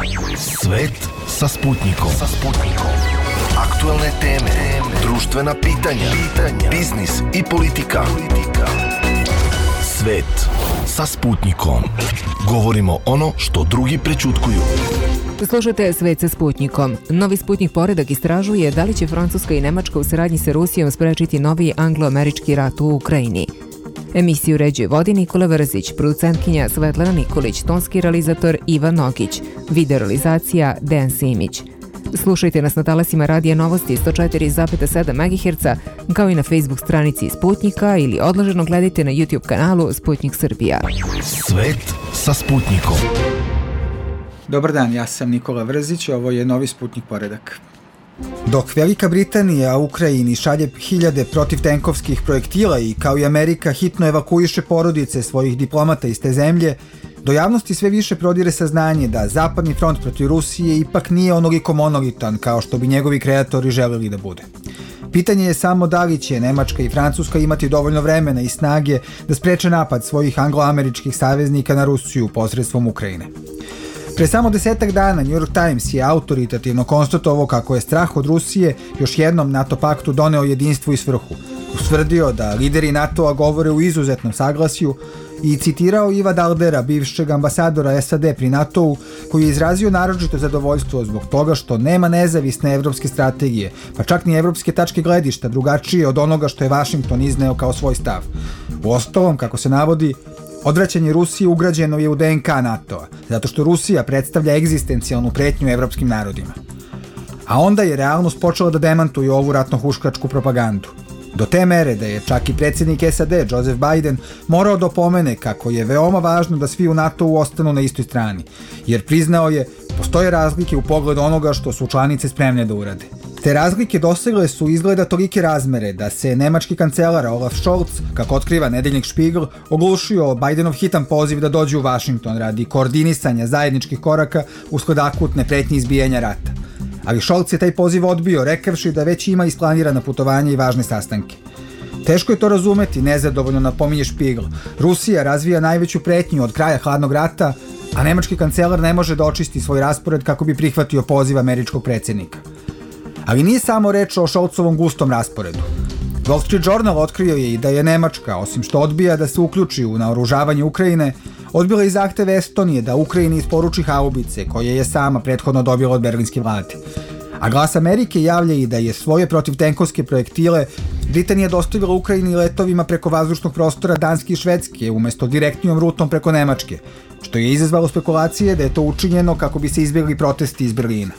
Svet sa Sputnikom. Aktuelne teme, društvena pitanja, biznis i politika. Svet sa Sputnikom. Govorimo ono što drugi prećutkuju. Slušajte Svet sa Sputnikom. Novi Sputnik poredak istražuje da li će Francuska i Nemačka u saradnji sa Rusijom sprečiti novi anglo-američki rat u Ukrajini. Emisiju uređuje vodi Nikola Vrzić, producentkinja Svetlana Nikolić, tonski realizator Ivan Nogić, video realizacija Dejan Simić. Slušajte nas na talasima Radija Novosti 104,7 MHz, kao i na Facebook stranici Sputnika ili odloženo gledajte na YouTube kanalu Sputnik Srbija. Svet sa Sputnikom. Dobar dan, ja sam Nikola Vrzić, ovo je novi Sputnik poredak. Dok Velika Britanija Ukrajini šalje hiljade protivtenkovskih projektila i kao i Amerika hitno evakuiše porodice svojih diplomata iz te zemlje, do javnosti sve više prodire saznanje da zapadni front protiv Rusije ipak nije onoliko monolitan kao što bi njegovi kreatori želeli da bude. Pitanje je samo da li će Nemačka i Francuska imati dovoljno vremena i snage da spreče napad svojih anglo-američkih saveznika na Rusiju posredstvom Ukrajine. Pre samo 10 dana New York Times je autoritativno konstatovao kako je strah od Rusije još jednom NATO paktu doneo jedinstvo i svrhu. Ustvrdio da lideri NATO-a govore u izuzetnom saglasju i citirao Iva Daldera, bivšeg ambasadora SAD pri NATO-u, koji je izrazio naročito zadovoljstvo zbog toga što nema nezavisne evropske strategije, pa čak ni evropske tačke gledišta drugačije od onoga što je Vašington izneo kao svoj stav. Uostalom, kako se navodi, odvraćanje Rusije ugrađeno je u DNK NATO-a, zato što Rusija predstavlja egzistencijalnu pretnju evropskim narodima. A onda je realnost počela da demantuje ovu ratno-huškačku propagandu. Do te mere da je čak i predsjednik SAD, Joseph Biden, morao da opomene kako je veoma važno da svi u NATO-u ostanu na istoj strani, jer priznao je, postoje razlike u pogledu onoga što su članice spremne da urade. Te razlike dosegle su izgleda tolike razmere da se nemački kancelar Olaf Scholz, kako otkriva nedeljnik Spiegel, oglušio Bidenov hitan poziv da dođe u Vašington radi koordinisanja zajedničkih koraka usled akutne pretnje izbijanja rata. Ali Scholz je taj poziv odbio, rekavši da već ima isplanirana putovanja i važne sastanke. Teško je to razumeti, nezadovoljno napominje Spiegel. Rusija razvija najveću pretnju od kraja hladnog rata, a nemački kancelar ne može da očisti svoj raspored kako bi prihvatio poziv američkog predsjednika. Ali nije samo reč o Scholzovom gustom rasporedu. Wall Street Journal otkrio je i da je Nemačka, osim što odbija da se uključi u naoružavanje Ukrajine, odbila i zahteve Estonije da Ukrajini isporuči haubice koje je sama prethodno dobila od berlinske vlade. A Glas Amerike javlja i da je svoje protivtenkovske projektile Britanija dostavila Ukrajini letovima preko vazdušnog prostora Danske i Švedske umesto direktnijom rutom preko Nemačke, što je izazvalo spekulacije da je to učinjeno kako bi se izbjegli protesti iz Berlina.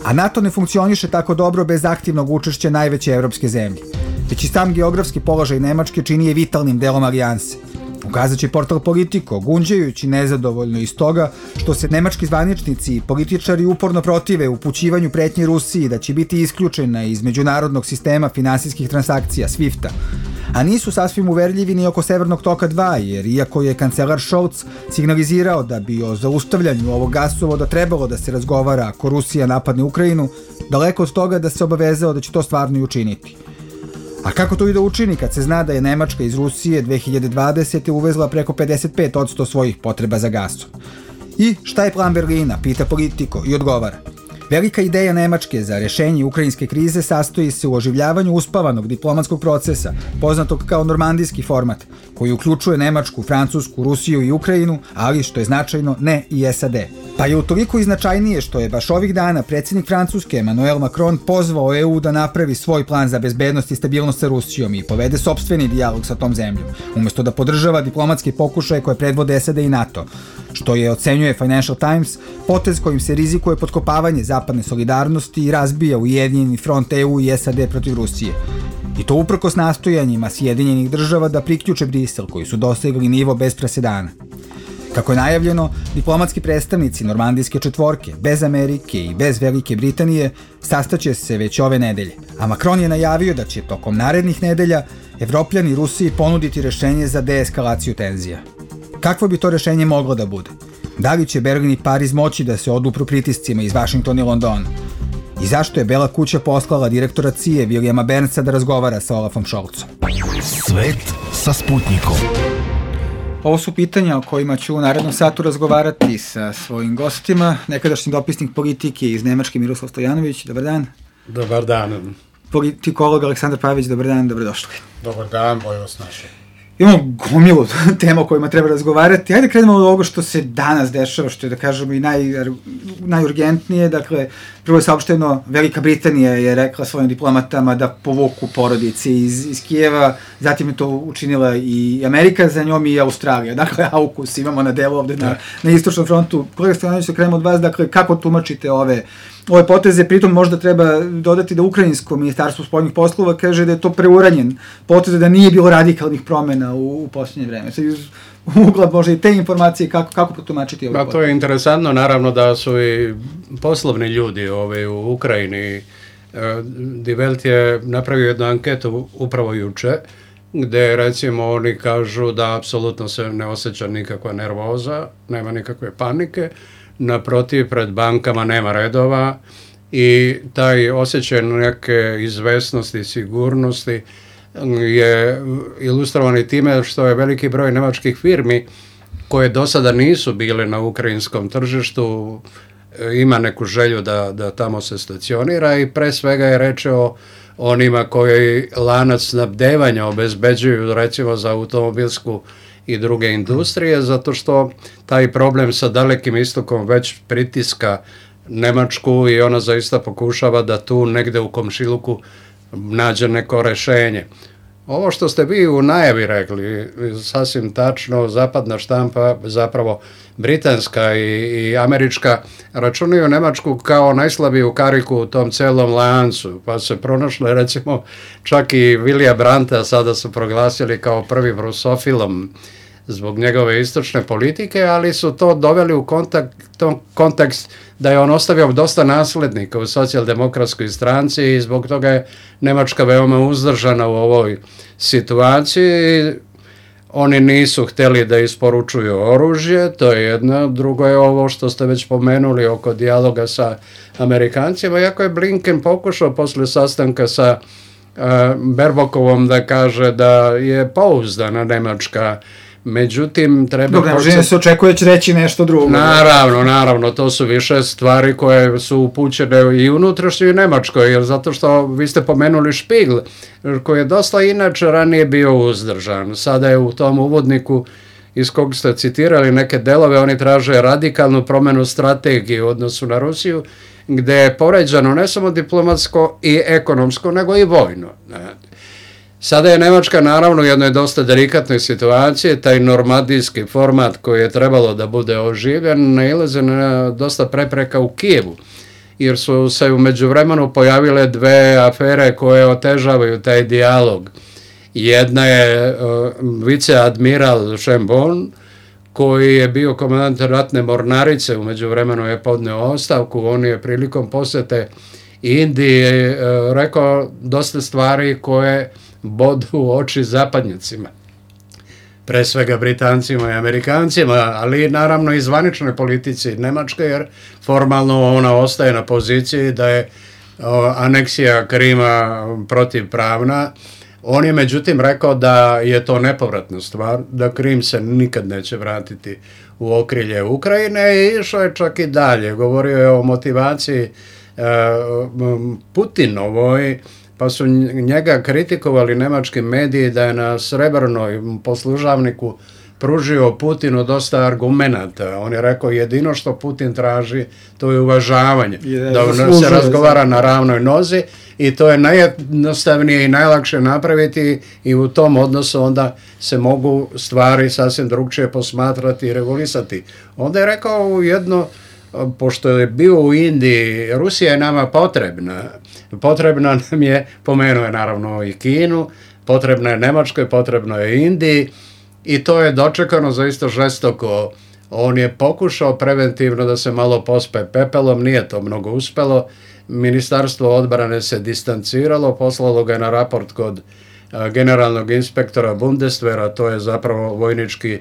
A NATO ne funkcioniše tako dobro bez aktivnog učešća najveće evropske zemlje. Već i sam geografski položaj Nemačke čini je vitalnim delom alijanse. Ukazat će portal Politico, gunđajući nezadovoljno iz toga što se nemački zvaničnici i političari uporno protive upućivanju pretnje Rusiji da će biti isključena iz međunarodnog sistema finansijskih transakcija, SWIFT-a. A nisu sasvim uverljivi ni oko Severnog toka 2, jer iako je kancelar Scholz signalizirao da bi o zaustavljanju ovog gasovoda trebalo da se razgovara ako Rusija napadne Ukrajinu, daleko od toga da se obavezao da će to stvarno i učiniti. A kako to i da učini kad se zna da je Nemačka iz Rusije 2020. uvezla preko 55% svojih potreba za gasom? I šta je plan Berlina, pita Politico i odgovara. Velika ideja Nemačke za rešenje ukrajinske krize sastoji se u oživljavanju uspavanog diplomatskog procesa, poznatog kao normandijski format, koji uključuje Nemačku, Francusku, Rusiju i Ukrajinu, ali što je značajno, ne i SAD. Pa je utoliko i značajnije što je baš ovih dana predsjednik Francuske Emmanuel Macron pozvao EU da napravi svoj plan za bezbednost i stabilnost sa Rusijom i povede sopstveni dijalog sa tom zemljom, umesto da podržava diplomatske pokušaje koje predvode SAD i NATO, što je, ocenjuje Financial Times, potez kojim se rizikuje potkopavanje zapadne solidarnosti i razbija ujedinjeni front EU i SAD protiv Rusije. I to uprkos nastojanjima Sjedinjenih država da priključe Brisel, koji su dosegli nivo bez presedana. Kako je najavljeno, diplomatski predstavnici Normandijske četvorke, bez Amerike i bez Velike Britanije, sastaće se već ove nedelje. A Macron je najavio da će tokom narednih nedelja Evropljani Rusiji ponuditi rešenje za deeskalaciju tenzija. Kakvo bi to rešenje moglo da bude? Da li će Berlin i Pariz moći da se odupru pritiscima iz Vašingtona i Londona? I zašto je Bela kuća poslala direktora CIA Williama Burnsa da razgovara sa Olafom Scholzom? Svet sa Sputnikom. Ovo su pitanja o kojima ću u narednom satu razgovarati sa svojim gostima. Nekadašnji dopisnik politike iz Nemačke Miroslav Stojanović, dobar dan. Dobar dan. Politikolog Aleksandar Pavić, dobar dan, dobrodošli. Dobar dan, bolje vas našao. Imamo gomilu tema o kojima treba razgovarati. Hajde krenemo od ovoga što se danas dešava, što je, da kažemo, i najurgentnije. Dakle, prvo je saopšteno, Velika Britanija je rekla svojim diplomatama da povuku porodice iz Kijeva, zatim je to učinila i Amerika, za njom i Australija. Dakle, AUKUS imamo na delu ovde na istočnom frontu. Kolega Stojanović, se krenemo od vas, dakle, kako tumačite ove poteze, pritom možda treba dodati da Ukrajinsko ministarstvo spoljnih poslova kaže da je to preuranjen potez, da nije bilo radikalnih promena u posljednje vreme. Sad iz ugla možda i te informacije, kako potumačiti ove poteze? To je interesantno, naravno da su i poslovni ljudi u Ukrajini. Die Welt je napravio jednu anketu upravo juče, gde recimo oni kažu da apsolutno se ne osjeća nikakva nervoza, nema nikakve panike, naprotiv, pred bankama nema redova i taj osjećaj neke izvesnosti i sigurnosti je ilustrovan i time što je veliki broj nemačkih firmi koje do sada nisu bile na ukrajinskom tržištu, ima neku želju da tamo se stacionira i pre svega je reč o onima koji lanac snabdevanja obezbeđuju recimo za automobilsku i druge industrije, zato što taj problem sa Dalekim istokom već pritiska Nemačku i ona zaista pokušava da tu negde u komšiluku nađe neko rešenje. Ovo što ste vi u najavi rekli, sasvim tačno, zapadna štampa, zapravo britanska i američka, računaju Nemačku kao najslabiju kariku u tom celom lancu, pa se pronašle recimo čak i Vilija Brandta sada su proglasili kao prvim rusofilom zbog njegove istočne politike, ali su to doveli u kontekst da je on ostavio dosta naslednika u socijaldemokratskoj stranci i zbog toga je Nemačka veoma uzdržana u ovoj situaciji. Oni nisu hteli da isporučuju oružje, to je jedno. Drugo je ovo što ste već pomenuli oko dijaloga sa Amerikancima, iako je Blinken pokušao posle sastanka sa Baerbockovom da kaže da je pouzdana Nemačka. Međutim, treba... Dobro, se očekuje da će reći nešto drugo. Naravno, to su više stvari koje su upućene i unutrašnjoj i Nemačkoj, jer zato što vi ste pomenuli Spiegel, koji je dosta inače ranije bio uzdržan. Sada je u tom uvodniku iz kog ste citirali neke delove, oni traže radikalnu promenu strategije u odnosu na Rusiju, gde je poređano ne samo diplomatsko i ekonomsko, nego i vojno. Sada je Nemačka naravno u jednoj dosta delikatnoj situaciji, taj normandijski format koji je trebalo da bude oživljen, nailaze na dosta prepreka u Kijevu, jer su se u međuvremenu pojavile dve afere koje otežavaju taj dijalog. Jedna je viceadmiral Schönborn, koji je bio komandant ratne mornarice, u međuvremenu je podneo ostavku, on je prilikom posete Indiji rekao dosta stvari koje bodu u oči zapadnjacima, pre svega Britancima i Amerikancima, ali naravno i zvaničnoj politici Nemačke, jer formalno ona ostaje na poziciji da je aneksija Krima protivpravna. On je međutim rekao da je to nepovratna stvar, da Krim se nikad neće vratiti u okrilje Ukrajine i išao je čak i dalje. Govorio je o motivaciji Putinovoj, pa su njega kritikovali nemački mediji da je na Srebrnoj poslužavniku pružio Putinu dosta argumenata. On je rekao jedino što Putin traži to je uvažavanje, da se razgovara na ravnoj nozi i to je najjednostavnije i najlakše napraviti i u tom odnosu onda se mogu stvari sasvim drugčije posmatrati i regulisati. Onda je rekao jedno, pošto je bio u Indiji, Rusija je nama potrebna nam je, pomenuo je naravno i Kinu, potrebna je Nemačkoj, potrebno je Indiji i to je dočekano zaista žestoko. On je pokušao preventivno da se malo pospe pepelom, nije to mnogo uspelo. Ministarstvo odbrane se distanciralo, poslalo ga na raport kod generalnog inspektora Bundeswehra, to je zapravo vojnički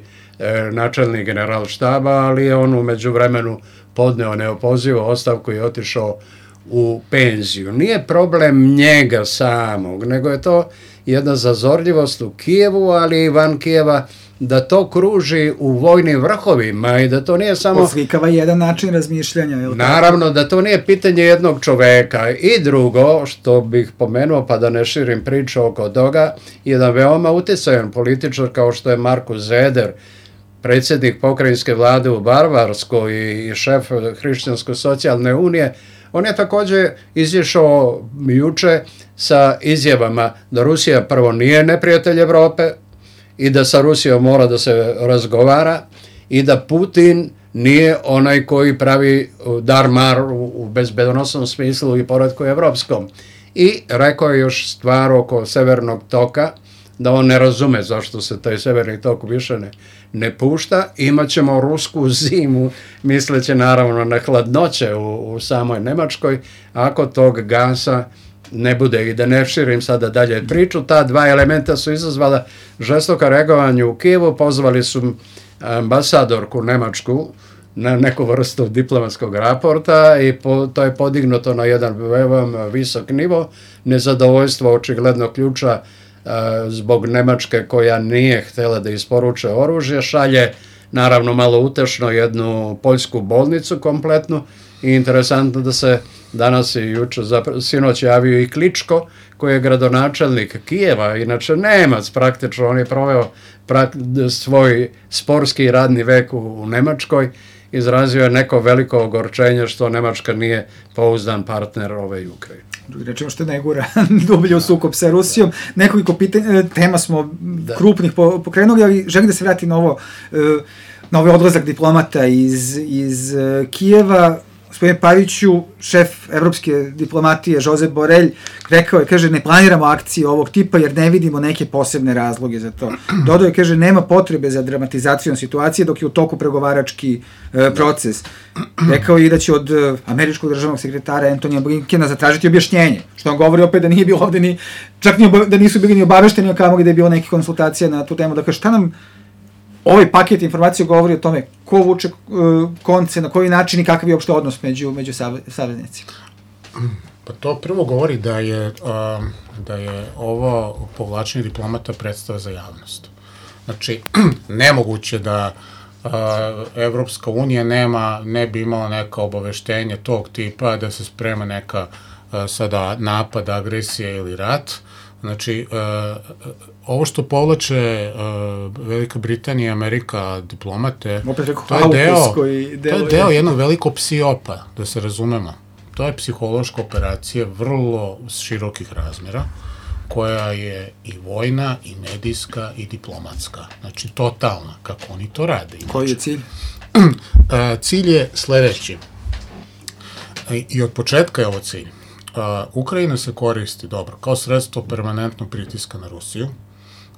načelnik generalštaba, ali je on u međuvremenu podneo neopozivu ostavku i otišao u penziju. Nije problem njega samog, nego je to jedna zazorljivost u Kijevu, ali i van Kijeva, da to kruži u vojnim vrhovima i da to nije samo... Oslikava jedan način razmišljanja. Naravno, da to nije pitanje jednog čoveka. I drugo, što bih pomenuo, pa da ne širim priču oko toga, jedan veoma utjecajan političar kao što je Markus Zeder, predsjednik pokrajinske vlade u Bavarskoj i šef Hrišćansko-socijalne unije, on je također izišao juče sa izjavama da Rusija prvo nije neprijatelj Evrope i da sa Rusijom mora da se razgovara i da Putin nije onaj koji pravi dar-mar u bezbedonosnom smislu i poretku evropskom. I rekao je još stvar oko Severnog toka, da on ne razume zašto se taj Severni tok više ne pušta. Imaćemo rusku zimu, misleći naravno na hladnoće u samoj Nemačkoj, ako tog gasa ne bude. I da ne širim sada dalje priču, ta dva elementa su izazvala žestoka reagovanje u Kijevu, pozvali su ambasadorku Nemačku na neku vrstu diplomatskog raporta i to je podignuto na jedan veoma visok nivo. Nezadovoljstvo očigledno ključa zbog Nemačke koja nije htjela da isporuče oružje, šalje naravno malo utešno jednu poljsku bolnicu kompletnu i interesantno da se danas i juče, sinoć javio i Kličko koji je gradonačelnik Kijeva, inače Nemac praktično, on je proveo svoj sportski radni vek u Nemačkoj, izrazio je neko veliko ogorčenje što Nemačka nije pouzdan partner ove Ukrajine. Rečemo što ne gura dublje u sukob sa Rusijom. Nekoliko tema smo krupnih pokrenuli, ali želim da se vrati na ovaj odlazak diplomata iz Kijeva. Gospodine Paviću, šef evropske diplomatije Josep Borrell rekao je, kaže, ne planiramo akcije ovog tipa jer ne vidimo neke posebne razloge za to. Dodao je, kaže, nema potrebe za dramatizacijom situacije dok je u toku pregovarački proces. Rekao je i da će od američkog državnog sekretara Antonija Blinkena zatražiti objašnjenje, što on govori opet da nije bilo ovde čak da nisu bili ni obavešteni o kamoli da je bilo neke konsultacije na tu temu. Dakle, šta nam ovaj paket informacija govori o tome ko vuče konce, na koji način i kakav je uopšte odnos među saveznicima? Pa to prvo govori da je ovo povlačenje diplomata predstava za javnost. Znači, nemoguće da Evropska unija ne bi imala neka obaveštenja tog tipa da se sprema neka sada napad, agresija ili rat. Znači, ovo što povlače Velika Britanija i Amerika diplomate, to je deo jednog velikog psiopa, da se razumemo. To je psihološka operacija vrlo širokih razmera, koja je i vojna, i medijska, i diplomatska. Znači, totalna, kako oni to rade. Koji je cilj? Cilj je sledeći. I od početka je ovo cilj. Ukrajina se koristi, dobro, kao sredstvo permanentnog pritiska na Rusiju,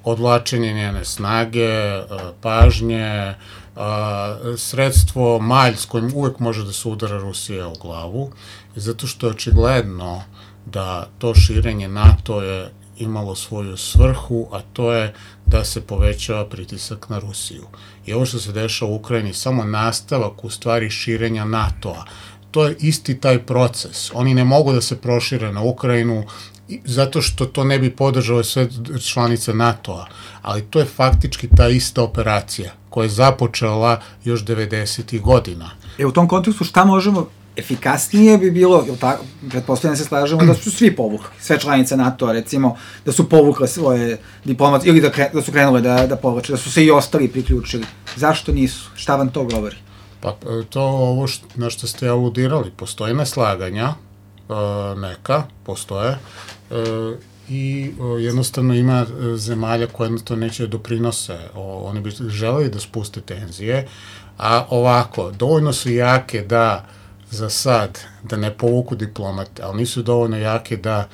odvlačenje njene snage, pažnje, sredstvo malj s kojim uvek može da se udara Rusija u glavu, zato što je očigledno da to širenje NATO je imalo svoju svrhu, a to je da se povećava pritisak na Rusiju. I ovo što se dešava u Ukrajini samo nastavak u stvari širenja NATO-a. To je isti taj proces. Oni ne mogu da se prošire na Ukrajinu zato što to ne bi podržale sve članice NATO-a, ali to je faktički ta ista operacija koja je započela još 90. godina. U tom kontekstu šta možemo, efikasnije bi bilo, pretpostavljamo se slažemo da su svi povukli, sve članice NATO-a recimo, da su povukle svoje diplomatske, ili da su krenule da povlače, da su se i ostali priključili. Zašto nisu? Šta vam to govori? Pa to ovo na što ste aludirali, postoje neslaganja, neka, postoje, i jednostavno ima zemalja koje to neće doprinose, oni bi želeli da spuste tenzije, a ovako, dovoljno su jake da za sad, da ne povuku diplomate, ali nisu dovoljno jake da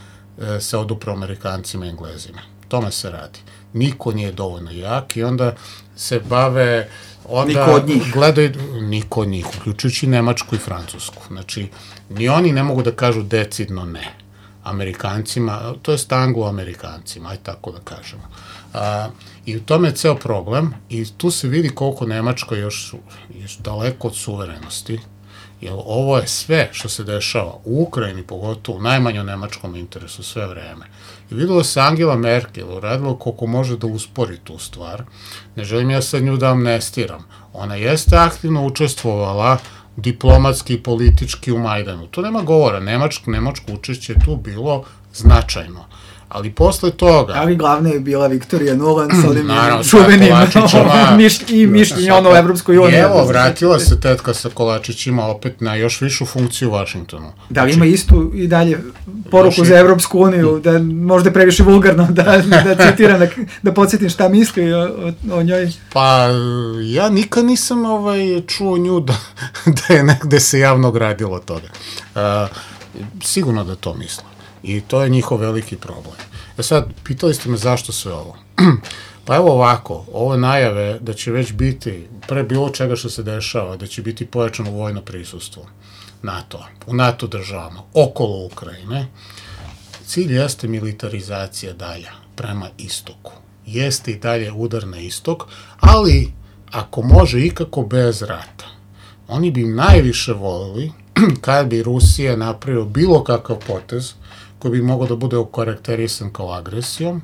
se odupru Amerikancima i Englezima. Tome se radi. Niko nije dovoljno jak i onda se bave... Niko od njih. Niko od njih, uključujući Nemačku i Francusku. Znači, ni oni ne mogu da kažu decidno ne Amerikancima, to je Anglo-Amerikancima, aj tako da kažemo. I u tome je ceo problem i tu se vidi koliko Nemačka još daleko od suverenosti jer ovo je sve što se dešava u Ukrajini, pogotovo u najmanjem nemačkom interesu sve vreme. I videlo se Angela Merkel uradila koliko može da uspori tu stvar. Ne želim ja sad nju da amnestiram. Ona jeste aktivno učestvovala diplomatski i politički u Majdanu. To nema govora. Nemačko učešće je tu bilo značajno. Ali posle toga... Ali glavna je bila Viktorija Nuland sa ovim čuvenim mišljenje ono u Evropskoj uniji. Evo, vratila se tetka sa kolačićima opet na još višu funkciju u Vašingtonu. Da li ima istu i dalje poruku za Evropsku uniju, da možda je previše vulgarno da citiram, da podsjetim šta misli o njoj? Pa, ja nikad nisam čuo nju da je negde se javno gradilo toga. Sigurno da to misle. I to je njihov veliki problem. Sad, pitali ste me zašto sve ovo. Pa evo ovako, ove najave da će već biti, pre bilo čega što se dešava, da će biti pojačano vojno prisustvo NATO-a, u NATO državama, okolo Ukrajine, cilj jeste militarizacija dalja, prema istoku. Jeste i dalje udar na istok, ali ako može ikako bez rata. Oni bi najviše volili kad bi Rusija napravila bilo kakav potez koji bi mogao da bude okarakterisan kao agresijom,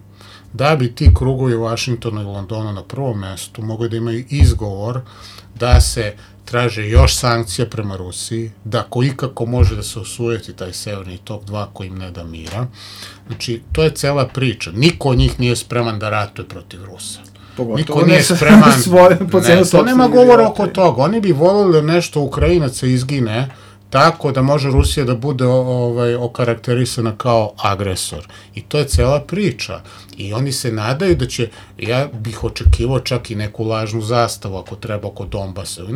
da bi ti krugovi u Vašingtonu i Londonu na prvom mestu mogli da imaju izgovor da se traže još sankcija prema Rusiji, da ko ikako može da se osujeti taj Severni tok 2 koji im ne da mira. Znači, to je cela priča. Niko od njih nije spreman da ratuje protiv Rusa. Niko nije spreman... To nema govora oko toga. Oni bi volili da nešto Ukrajinaca izgine tako da može Rusija da bude okarakterisana kao agresor. I to je cela priča. I oni se nadaju da će, ja bih očekivao čak i neku lažnu zastavu ako treba oko Donbasa, ili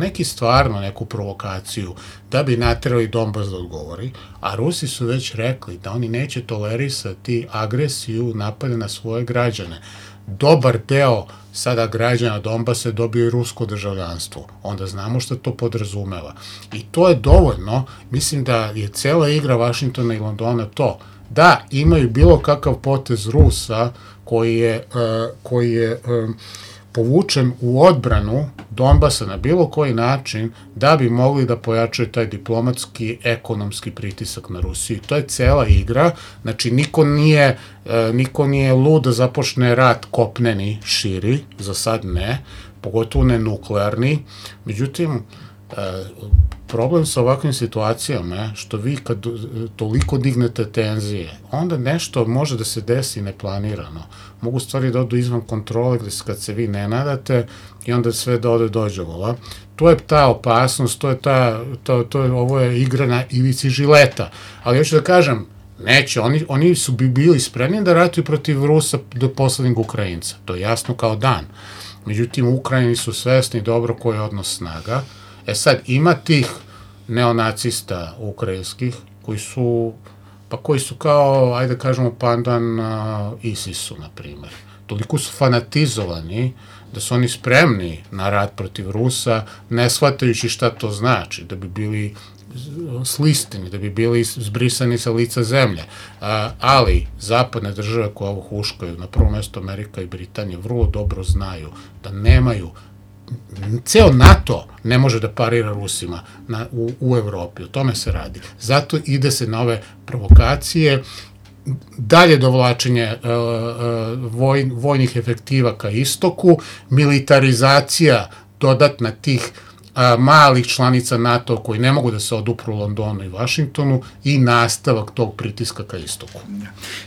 neku provokaciju, da bi naterali Donbas da odgovori, a Rusi su već rekli da oni neće tolerisati agresiju napada na svoje građane. Dobar deo sada građana Donbasa dobio i rusko državljanstvo. Onda znamo što to podrazumeva. I to je dovoljno. Mislim da je cela igra Vašingtona i Londona to da imaju bilo kakav potez Rusa koji je povučen u odbranu Donbasa na bilo koji način da bi mogli da pojačaju taj diplomatski, ekonomski pritisak na Rusiju. To je cela igra. Znači, niko nije lud da započne rat kopneni, širi, za sad ne, pogotovo ne nuklearni. Međutim, problem sa ovakvim situacijama je što vi kad toliko dignete tenzije, onda nešto može da se desi neplanirano. Mogu stvari da odu izvan kontrole kad se vi ne nadate i onda sve dođe vola. To je ta opasnost, ovo je igra na ivici žileta. Ali hoću da kažem, neće, oni su bili spremni da ratuju protiv Rusa do poslednjeg Ukrajinca. To je jasno kao dan. Međutim, u Ukrajini su svesni dobro koji je odnos snaga. Sad, ima tih neonacista ukrajinskih koji su kao, ajde kažemo, pandan ISIS-u, na primjer. Toliko su fanatizovani da su oni spremni na rat protiv Rusa, ne shvatajući šta to znači, da bi bili slistini, da bi bili zbrisani sa lica zemlje. Ali zapadne države koje ovo huškaju, na prvo mesto Amerika i Britanija, vrlo dobro znaju da nemaju, ceo NATO ne može da parira Rusima u Evropi, o tome se radi. Zato ide se na ove provokacije, dalje dovlačenje vojnih efektiva ka istoku, militarizacija dodatna tih malih članica NATO koji ne mogu da se odupru Londonu i Vašingtonu i nastavak tog pritiska ka istoku.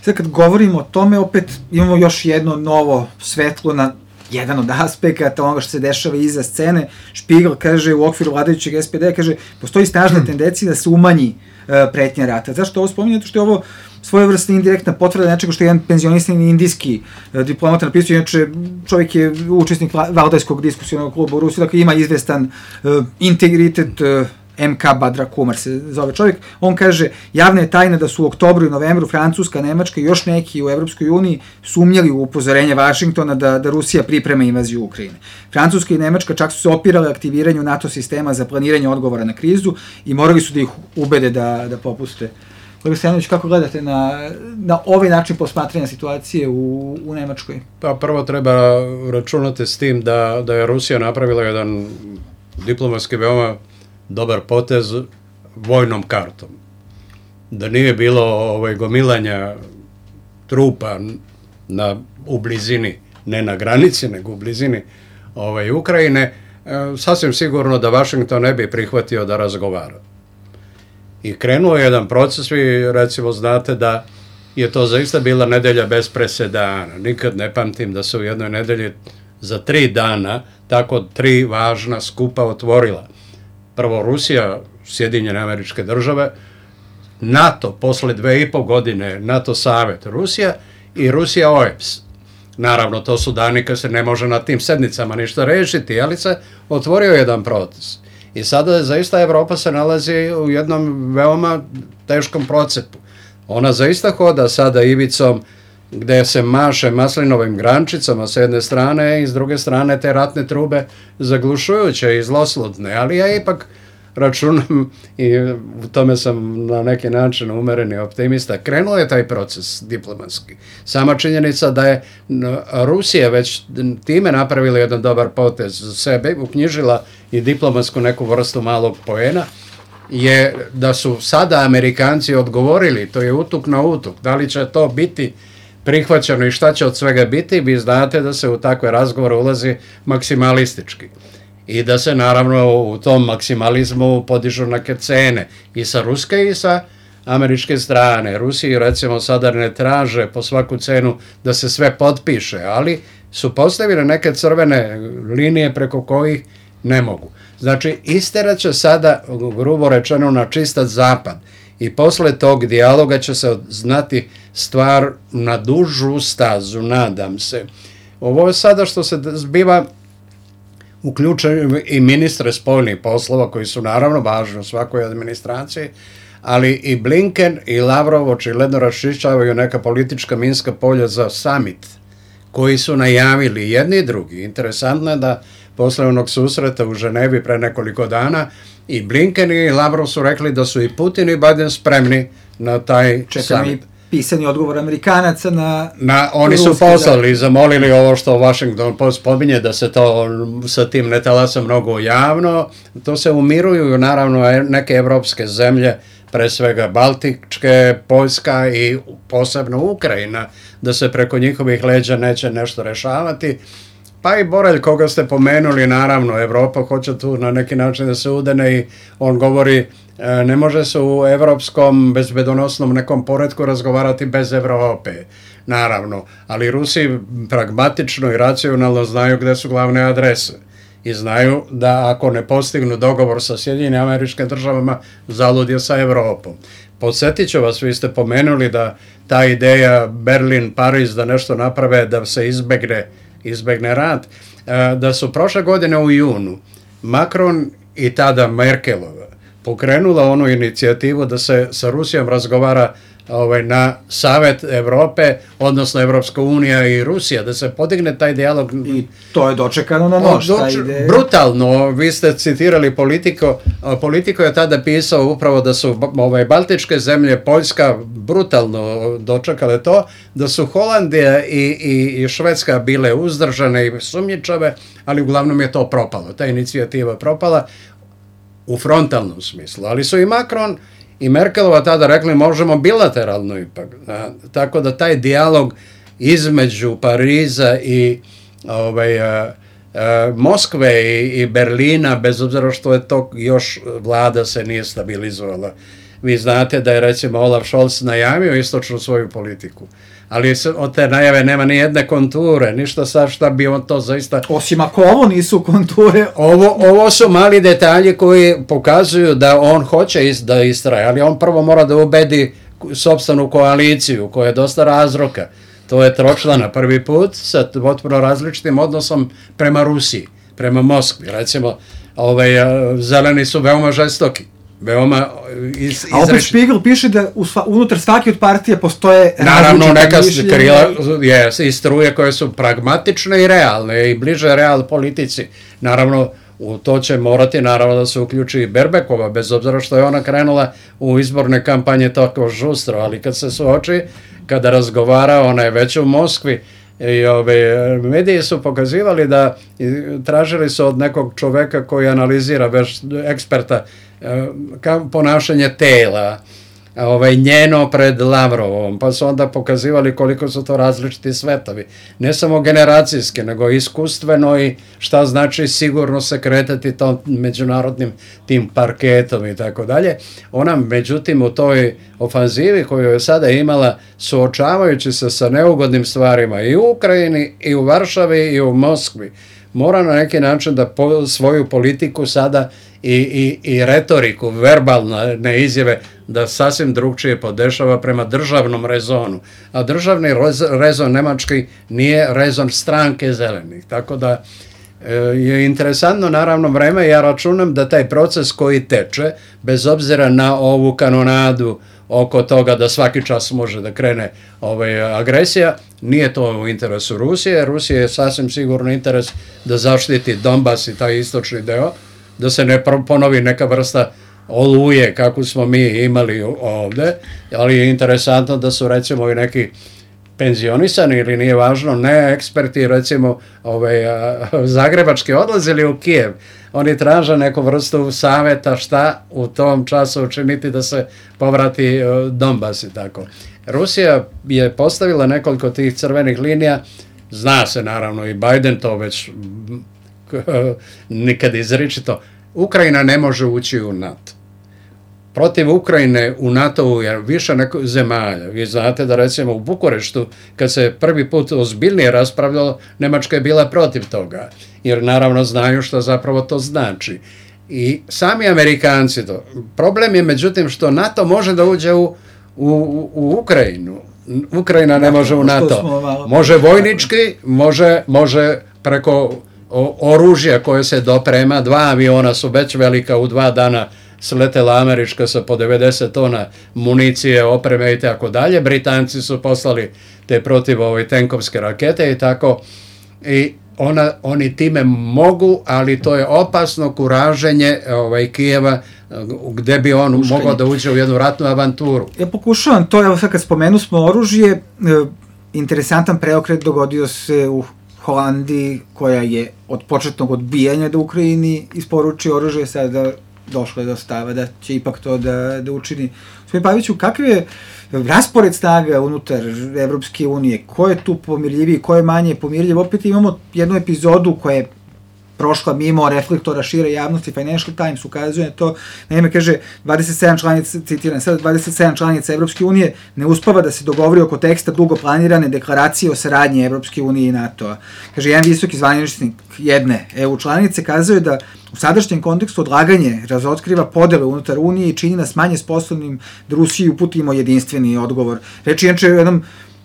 Sad kad govorimo o tome, opet imamo još jedno novo svetlo na jedan od aspekata onoga što se dešava iza scene. Špigel kaže u okviru vladajućeg SPD, kaže, postoji snažna tendencija da se umanji pretnja rata. Zašto ovo spominje? Zato što je ovo svojevrsna indirektna potvrda nečega što je jedan penzionisani indijski diplomata napisao, inače čovjek je učesnik Valdajskog diskusionog kluba u Rusiji, dakle ima izvestan integritet, MK Badra Kumar se zove čovjek. On kaže, javna je tajna da su u oktobru i novembru Francuska, Nemačka i još neki u Evropskoj uniji sumnjali u upozorenje Vašingtona da Rusija priprema invaziju Ukrajine. Francuska i Nemačka čak su se opirale aktiviranju NATO sistema za planiranje odgovora na krizu i morali su da ih ubede da popuste. Kolega Stojanović, kako gledate na ovaj način posmatranja situacije u Nemačkoj? Pa prvo treba računati s tim da je Rusija napravila jedan diplomatski veoma dobar potez vojnom kartom, da nije bilo gomilanja trupa u blizini, ne na granici, nego u blizini Ukrajine, sasvim sigurno da Washington ne bi prihvatio da razgovara. I krenuo je jedan proces, vi recimo znate da je to zaista bila nedelja bez presedana. Nikad ne pamtim da se u jednoj nedelji za 3 dana tako 3 važna skupa otvorila. Prvo Rusija, Sjedinjene Američke Države, NATO posle 2,5 godine, NATO Savet Rusija i Rusija OEBS. Naravno, to su dani kad se ne može na tim sednicama ništa rešiti, ali se otvorio jedan proces. I sada zaista Evropa se nalazi u jednom veoma teškom procepu. Ona zaista hoda sada ivicom gde se maše maslinovim grančicama s jedne strane i s druge strane te ratne trube zaglušujuće i zloslutne, ali ja ipak računam i u tome sam na neki način umereni optimista. Krenuo je taj proces diplomatski. Sama činjenica da je Rusija već time napravila jedan dobar potez za sebe, uknjižila i diplomatsku neku vrstu malog poena, je da su sada Amerikanci odgovorili, to je utuk na utuk, da li će to biti prihvaćeno i šta će od svega biti, vi znate da se u takve razgovore ulazi maksimalistički. I da se naravno u tom maksimalizmu podižu neke cene i sa ruske i sa američke strane. Rusiji recimo sada ne traže po svaku cenu da se sve potpiše, ali su postavile neke crvene linije preko kojih ne mogu. Znači, isterat će sada, grubo rečeno, na čistat zapad i posle tog dijaloga će se znati stvar na dužu stazu, nadam se. Ovo je sada što se zbiva, uključuju i ministre spoljnih poslova koji su naravno važni u svakoj administraciji, ali i Blinken i Lavrov očigledno raščišćavaju neka politička minska polja za summit koji su najavili jedni i drugi. Interesantno je da posle onog susreta u Ženevi pre nekoliko dana i Blinken i Lavrov su rekli da su i Putin i Biden spremni na taj summit. Pisani odgovor Amerikanaca oni su poslali i zamolili ovo što Washington Post spominje da se to sa tim ne talasa mnogo javno. To se umiruju naravno neke evropske zemlje, pre svega Baltičke, Poljska i posebno Ukrajina, da se preko njihovih leđa neće nešto rešavati. Pa i Borelj, koga ste pomenuli, naravno, Evropa hoće tu na neki način da se udene i on govori ne može se u evropskom bezbedonosnom nekom poretku razgovarati bez Evrope, naravno, ali Rusi pragmatično i racionalno znaju gde su glavne adrese i znaju da ako ne postignu dogovor sa Sjedinjenim Američkim Državama, zalud je sa Evropom. Podsjetit ću vas, vi ste pomenuli da ta ideja Berlin-Pariz da nešto naprave da se izbegne rat, da su prošle godine u junu Macron i tada Merkelova pokrenula onu inicijativu da se sa Rusijom razgovara na Savet Evrope, odnosno Evropska unija i Rusija, da se podigne taj dijalog. I to je dočekano na nož. Brutalno, vi ste citirali Politiko je tada pisao upravo da su baltičke zemlje, Poljska, brutalno dočekale to, da su Holandija i Švedska bile uzdržane i sumnjičave, ali uglavnom je to propalo, ta inicijativa propala u frontalnom smislu, ali su i Macron i Merkelova tada rekli možemo bilateralno ipak. Tako da taj dijalog između Pariza i Moskve i Berlina, bez obzira što je to još vlada se nije stabilizovala. Vi znate da je recimo Olaf Scholz najavio istočnu svoju politiku, ali od te najave nema ni jedne konture, ništa sad šta bi on to zaista... Osim ako ovo nisu konture... Ovo su mali detalji koji pokazuju da on hoće da istraje, ali on prvo mora da ubedi sopstvenu koaliciju koja je dosta razroka. To je tročlana prvi put sa potpuno različitim odnosom prema Rusiji, prema Moskvi. Recimo, zeleni su veoma žestoki. Veoma A opet Spiegel piše da unutar svake od partije postoje naravno neka krila i struje koje su pragmatične i realne i bliže real politici. Naravno, u to će morati naravno da se uključi i Berbekova, bez obzira što je ona krenula u izborne kampanje tako žustro, ali kad se suoči, kada razgovara, ona je već u Moskvi. I mediji su pokazivali da tražili su od nekog čoveka koji analizira, već eksperta ponašanje tela, njeno pred Lavrovom, pa su onda pokazivali koliko su to različiti svetovi. Ne samo generacijski, nego iskustveno i šta znači sigurno se kretati tom međunarodnim tim parketom i tako dalje. Ona, međutim, u toj ofanzivi koju je sada imala, suočavajući se sa neugodnim stvarima i u Ukrajini, i u Varšavi, i u Moskvi, mora na neki način da svoju politiku sada i retoriku, verbalne izjave, da sasvim drugčije podešava prema državnom rezonu. A državni rezon nemački nije rezon stranke zelenih. Tako da je interesantno naravno vreme. Ja računam da taj proces koji teče, bez obzira na ovu kanonadu oko toga da svaki čas može da krene agresija, nije to u interesu Rusije. Rusije je sasvim sigurno interes da zaštiti Donbas i taj istočni deo, da se ne ponovi neka vrsta oluje kako smo mi imali ovde, ali je interesantno da su recimo i neki penzionisani ili nije važno, ne eksperti recimo zagrebački odlazili u Kijev. Oni traže neku vrstu saveta šta u tom času učiniti da se povrati Donbas i tako. Rusija je postavila nekoliko tih crvenih linija, zna se naravno i Biden to već nikad izričito, Ukrajina ne može ući u NATO. Protiv Ukrajine u NATO-u je više zemalja. Vi znate da recimo u Bukureštu, kad se prvi put ozbiljnije raspravljalo, Nemačka je bila protiv toga, jer naravno znaju što zapravo to znači. I sami Amerikanci to. Problem je međutim što NATO može da uđe u Ukrajinu. Ukrajina ne može u NATO. Može vojnički, može preko oružja koje se doprema, 2 aviona su već velika, u 2 dana sletela američka sa po 90 tona municije, opreme i tako dalje. Britanci su poslali te protiv tenkovske rakete i tako. I oni time mogu, ali to je opasno kuraženje Kijeva, gde bi on mogao da uđe u jednu ratnu avanturu. Ja pokušavam to, evo sad kad spomenu smo oružje, interesantan preokret dogodio se u Holandiji, koja je od početnog odbijanja da Ukrajini isporuči oružje, sada došlo je do stava da će ipak to da učini. Gospodin Paviću, kakav je raspored snaga unutar Evropske unije? Ko je tu pomirljiviji, ko je manje pomirljiv? Opet imamo jednu epizodu koja je prošla mimo reflektora šire javnosti. Financial Times ukazuje na to. Naime, kaže, 27 članica, citiram sada, 27 članica Evropske unije ne uspava da se dogovori oko teksta dugo planirane deklaracije o saradnji Evropske unije i NATO-a. Kaže, jedan visoki zvaničnik jedne EU članice kazuje da u sadašnjem kontekstu odlaganje razotkriva podele unutar Unije i čini nas manje sposobnim da Rusiji uputimo jedinstveni odgovor. Reči inače o jednom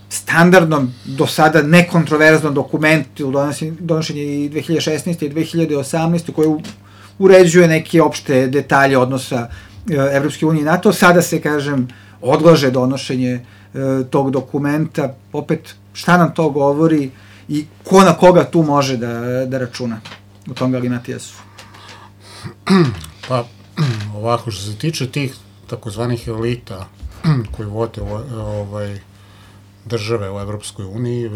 standardnom, do sada nekontroverznom dokumentu donošenje i 2016. i 2018. koji uređuje neke opšte detalje odnosa Evropske unije i NATO. Sada se, kažem, odlaže donošenje tog dokumenta. Opet, šta nam to govori i ko na koga tu može da računa u tom galimatijasu? Pa, ovako, što se tiče tih takozvanih elita koji vode države u Evropskoj uniji,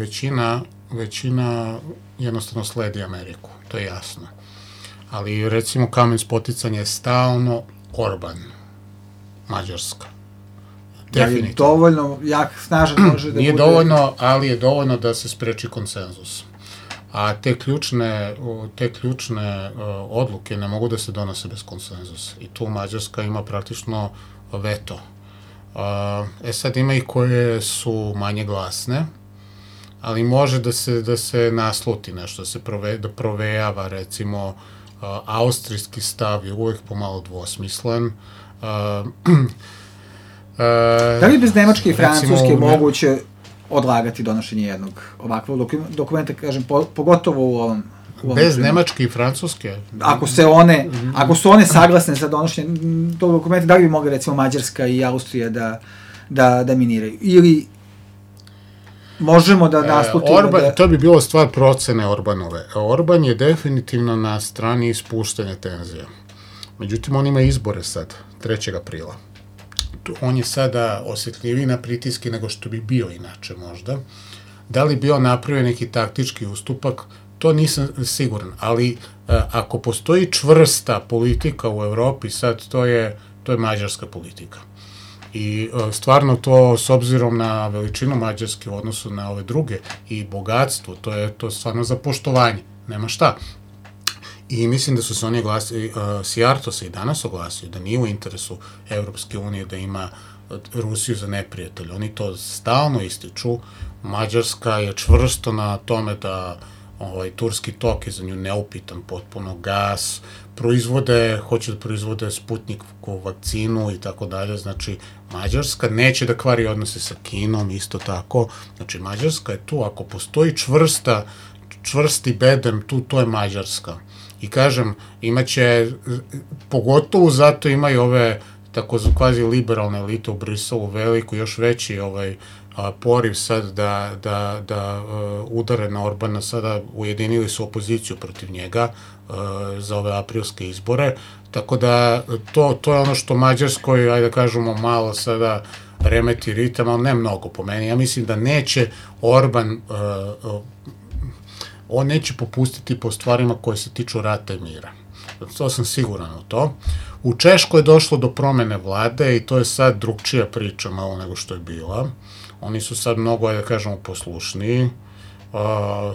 većina jednostavno sledi Ameriku, to je jasno. Ali, recimo, kamen spoticanja je stalno Orban, Mađarska. Definitivno. Je dovoljno jak, snažan može da nije bude... dovoljno, ali je dovoljno da se spreči konsenzus. A te ključne odluke ne mogu da se donose bez konsenzusa. I tu Mađarska ima praktično veto. Sad ima i koje su manje glasne, ali može da se nasluti nešto, da provejava, recimo, austrijski stav je uvek pomalo dvosmislen. Da li bez Nemačke i Francuske moguće odlagati donošenje jednog ovakvog dokumenta, kažem, pogotovo u ovom bez Nemačke i Francuske? Ako su one saglasne za donošenje tog dokumenta, da li bi mogli, recimo, Mađarska i Austrija da miniraju? Ili možemo da naslutimo To bi bilo stvar procene Orbanove. Orban je definitivno na strani ispuštanja tenzija. Međutim, on ima izbore sad, 3. aprila. On je sada osjetljiviji na pritiske nego što bi bio inače možda. Da li bi on napravio neki taktički ustupak, To nisam siguran, ali ako postoji čvrsta politika u Evropi, sad to je mađarska politika. I stvarno to, s obzirom na veličinu Mađarske u odnosu na ove druge i bogatstvo, to je stvarno za poštovanje, nema šta. I mislim da su se oni oglasili, Sijarto se i danas oglasio, da nije u interesu Evropske unije da ima Rusiju za neprijatelj. Oni to stalno ističu. Mađarska je čvrsto na tome da Turski tok je za nju neupitan potpuno, gas, hoće da proizvode Sputnikovu vakcinu i tako dalje, znači Mađarska neće da kvari odnose sa Kinom, isto tako, znači Mađarska je tu, ako postoji čvrsti bedem tu, to je Mađarska. I kažem, imaće, pogotovo zato imaju ove tako kvazi liberalne elite u Briselu veliku, još veći poriv sad da udare na Orbana, sada ujedinili su opoziciju protiv njega za ove aprilske izbore, tako da to je ono što Mađarskoj, ajde da kažemo, malo sada remeti ritam, ali ne mnogo po meni. Ja mislim da neće Orban, on neće popustiti po stvarima koje se tiču rata i mira. To sam siguran u to. U Češkoj je došlo do promene vlade i to je sad drugčija priča malo nego što je bila. Oni su sad mnogo, da kažemo, poslušniji.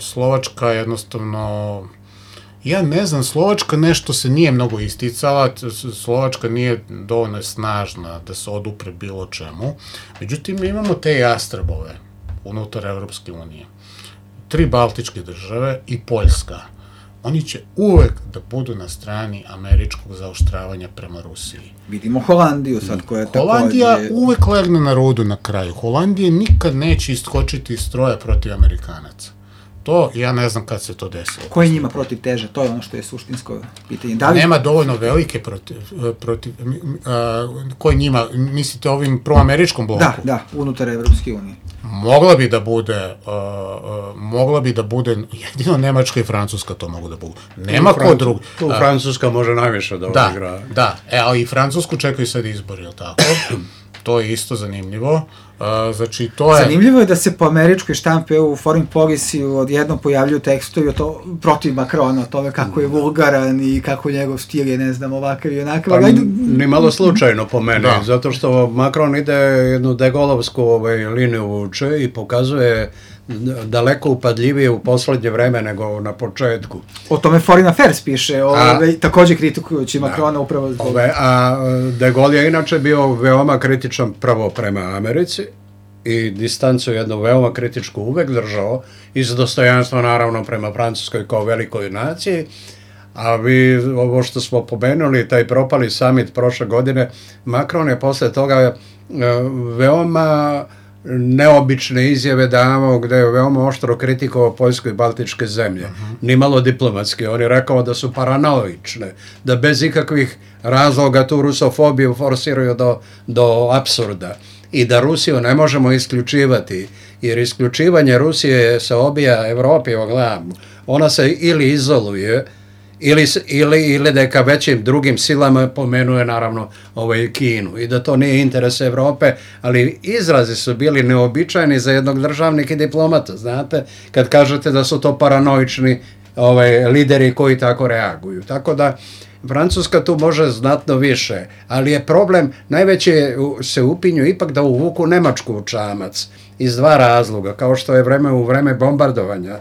Slovačka jednostavno, ja ne znam, Slovačka nešto se nije mnogo isticala, Slovačka nije dovoljno snažna da se odupre bilo čemu. Međutim, mi imamo te jastrebove unutar Evropske unije. 3 baltičke države i Poljska. Oni će uvek da budu na strani američkog zaoštravanja prema Rusiji. Vidimo Holandiju sad koja je takođe... Holandija uvek legne na rudu na kraju. Holandija nikad neće iskočiti iz stroja protiv Amerikanaca. To, ja ne znam kad se to desilo. Ko je njima protiv teže? To je ono što je suštinsko pitanje. Nema dovoljno velike protiv ko je njima, mislite ovim proameričkom bloku? Da, unutar Evropske unije. Mogla bi da bude, jedino Nemačka i Francuska to mogu da budu. Nema ko drugi. Tu Francuska može najviše da odigra. Da, ali i Francusku čekaju sad izbori, jel tako? To je isto zanimljivo. Znači, to je... Zanimljivo je da se po američkoj štampi u Foreign Policy odjednom pojavljuju tekstovi protiv Makrona, o tome kako je vulgaran i kako njegov stil je, ne znam, ovakav i onakav. Ni malo slučajno po meni, zato što Macron ide jednu degolovsku liniju vuče i pokazuje daleko upadljivije u poslednje vreme nego na početku. O tome Foreign Affairs piše, takođe kritikujući Macrona upravo zbog... A de Gaulle je inače bio veoma kritičan prvo prema Americi i distancu jednu veoma kritičku uvek držao, iz dostojanstva naravno prema Francuskoj kao velikoj naciji, a vi, ovo što smo pomenuli, taj propali summit prošle godine, Macron je posle toga veoma neobične izjave davao, gde je veoma oštro kritikovao Poljsku i Baltičke zemlje. Nimalo diplomatski. On je rekao da su paranoične, da bez ikakvih razloga tu rusofobiju forsiraju do apsurda i da Rusiju ne možemo isključivati, jer isključivanje Rusije se obija Evropi o glavu. Ona se ili izoluje, ili da je ka većim drugim silama pomenuje naravno Kinu i da to nije interes Evrope, ali izrazi su bili neobičajni za jednog državnika i diplomata, znate, kad kažete da su to paranoični lideri koji tako reaguju. Tako da Francuska tu može znatno više, ali je problem, najveće se upinju ipak da uvuku Nemačku u čamac iz 2 razloga, kao što je u vreme bombardovanja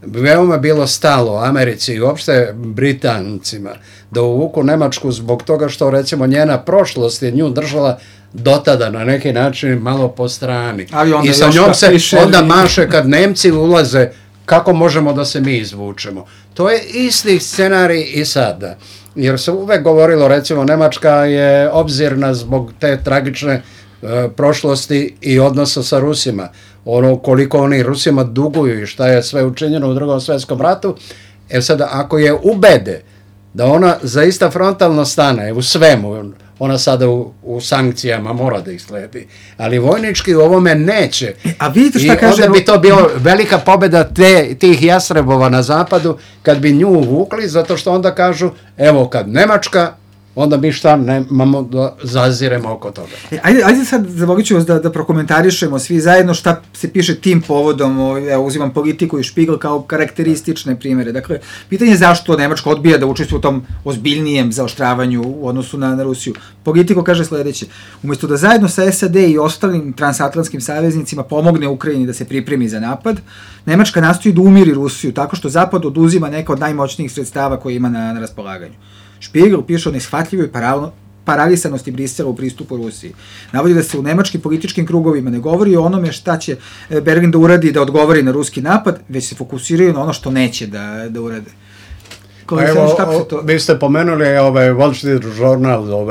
veoma bilo stalo Americi i uopšte Britancima da uvuku Nemačku zbog toga što recimo njena prošlost je nju držala dotada na neki način malo po strani. I sa njom se onda maše kad Nemci ulaze, kako možemo da se mi izvučemo. To je isti scenarij i sada. Jer se uvek govorilo, recimo, Nemačka je obzirna zbog te tragične prošlosti i odnosa sa Rusima. Ono koliko oni Rusima duguju i šta je sve učinjeno u Drugom svetskom ratu. Sada, ako je ubede da ona zaista frontalno stane u svemu, ona sada u sankcijama mora da ih sledi, ali vojnički u ovome neće. A vidite šta kaže... I onda bi to bilo velika pobeda tih jasrebova na zapadu kad bi nju uvukli, zato što onda kažu, evo kad Nemačka onda mi šta nemamo da zaziremo oko toga. Ajde sad, zavolit ću vas da prokomentarišemo svi zajedno šta se piše tim povodom, uzimam Politiku i Špigl kao karakteristične primere. Dakle, pitanje je zašto Nemačka odbija da učestvuje u tom ozbiljnijem zaoštravanju u odnosu na Rusiju. Politiko kaže sledeće: umjesto da zajedno sa SAD i ostalim transatlantskim saveznicima pomogne Ukrajini da se pripremi za napad, Nemačka nastoji da umiri Rusiju tako što Zapad oduzima neka od najmoćnijih sredstava koje ima na raspolaganju. Špigl piše o neshvatljivoj paralisanosti Brisela u pristupu Rusiji. Navodi da se u nemačkim političkim krugovima ne govori o onome šta će Berlin da uradi da odgovori na ruski napad, već se fokusiraju na ono što neće da urade. Vi ste pomenuli Wall Street Journal,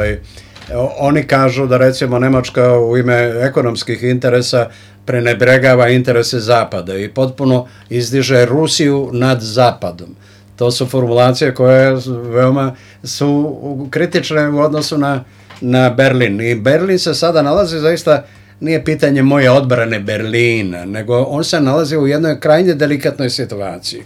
oni kažu da recimo Nemačka u ime ekonomskih interesa prenebregava interese Zapada i potpuno izdiže Rusiju nad Zapadom. To su formulacije koje veoma su kritične u odnosu na Berlin. I Berlin se sada nalazi, zaista nije pitanje moje odbrane Berlina, nego on se nalazi u jednoj krajnje delikatnoj situaciji.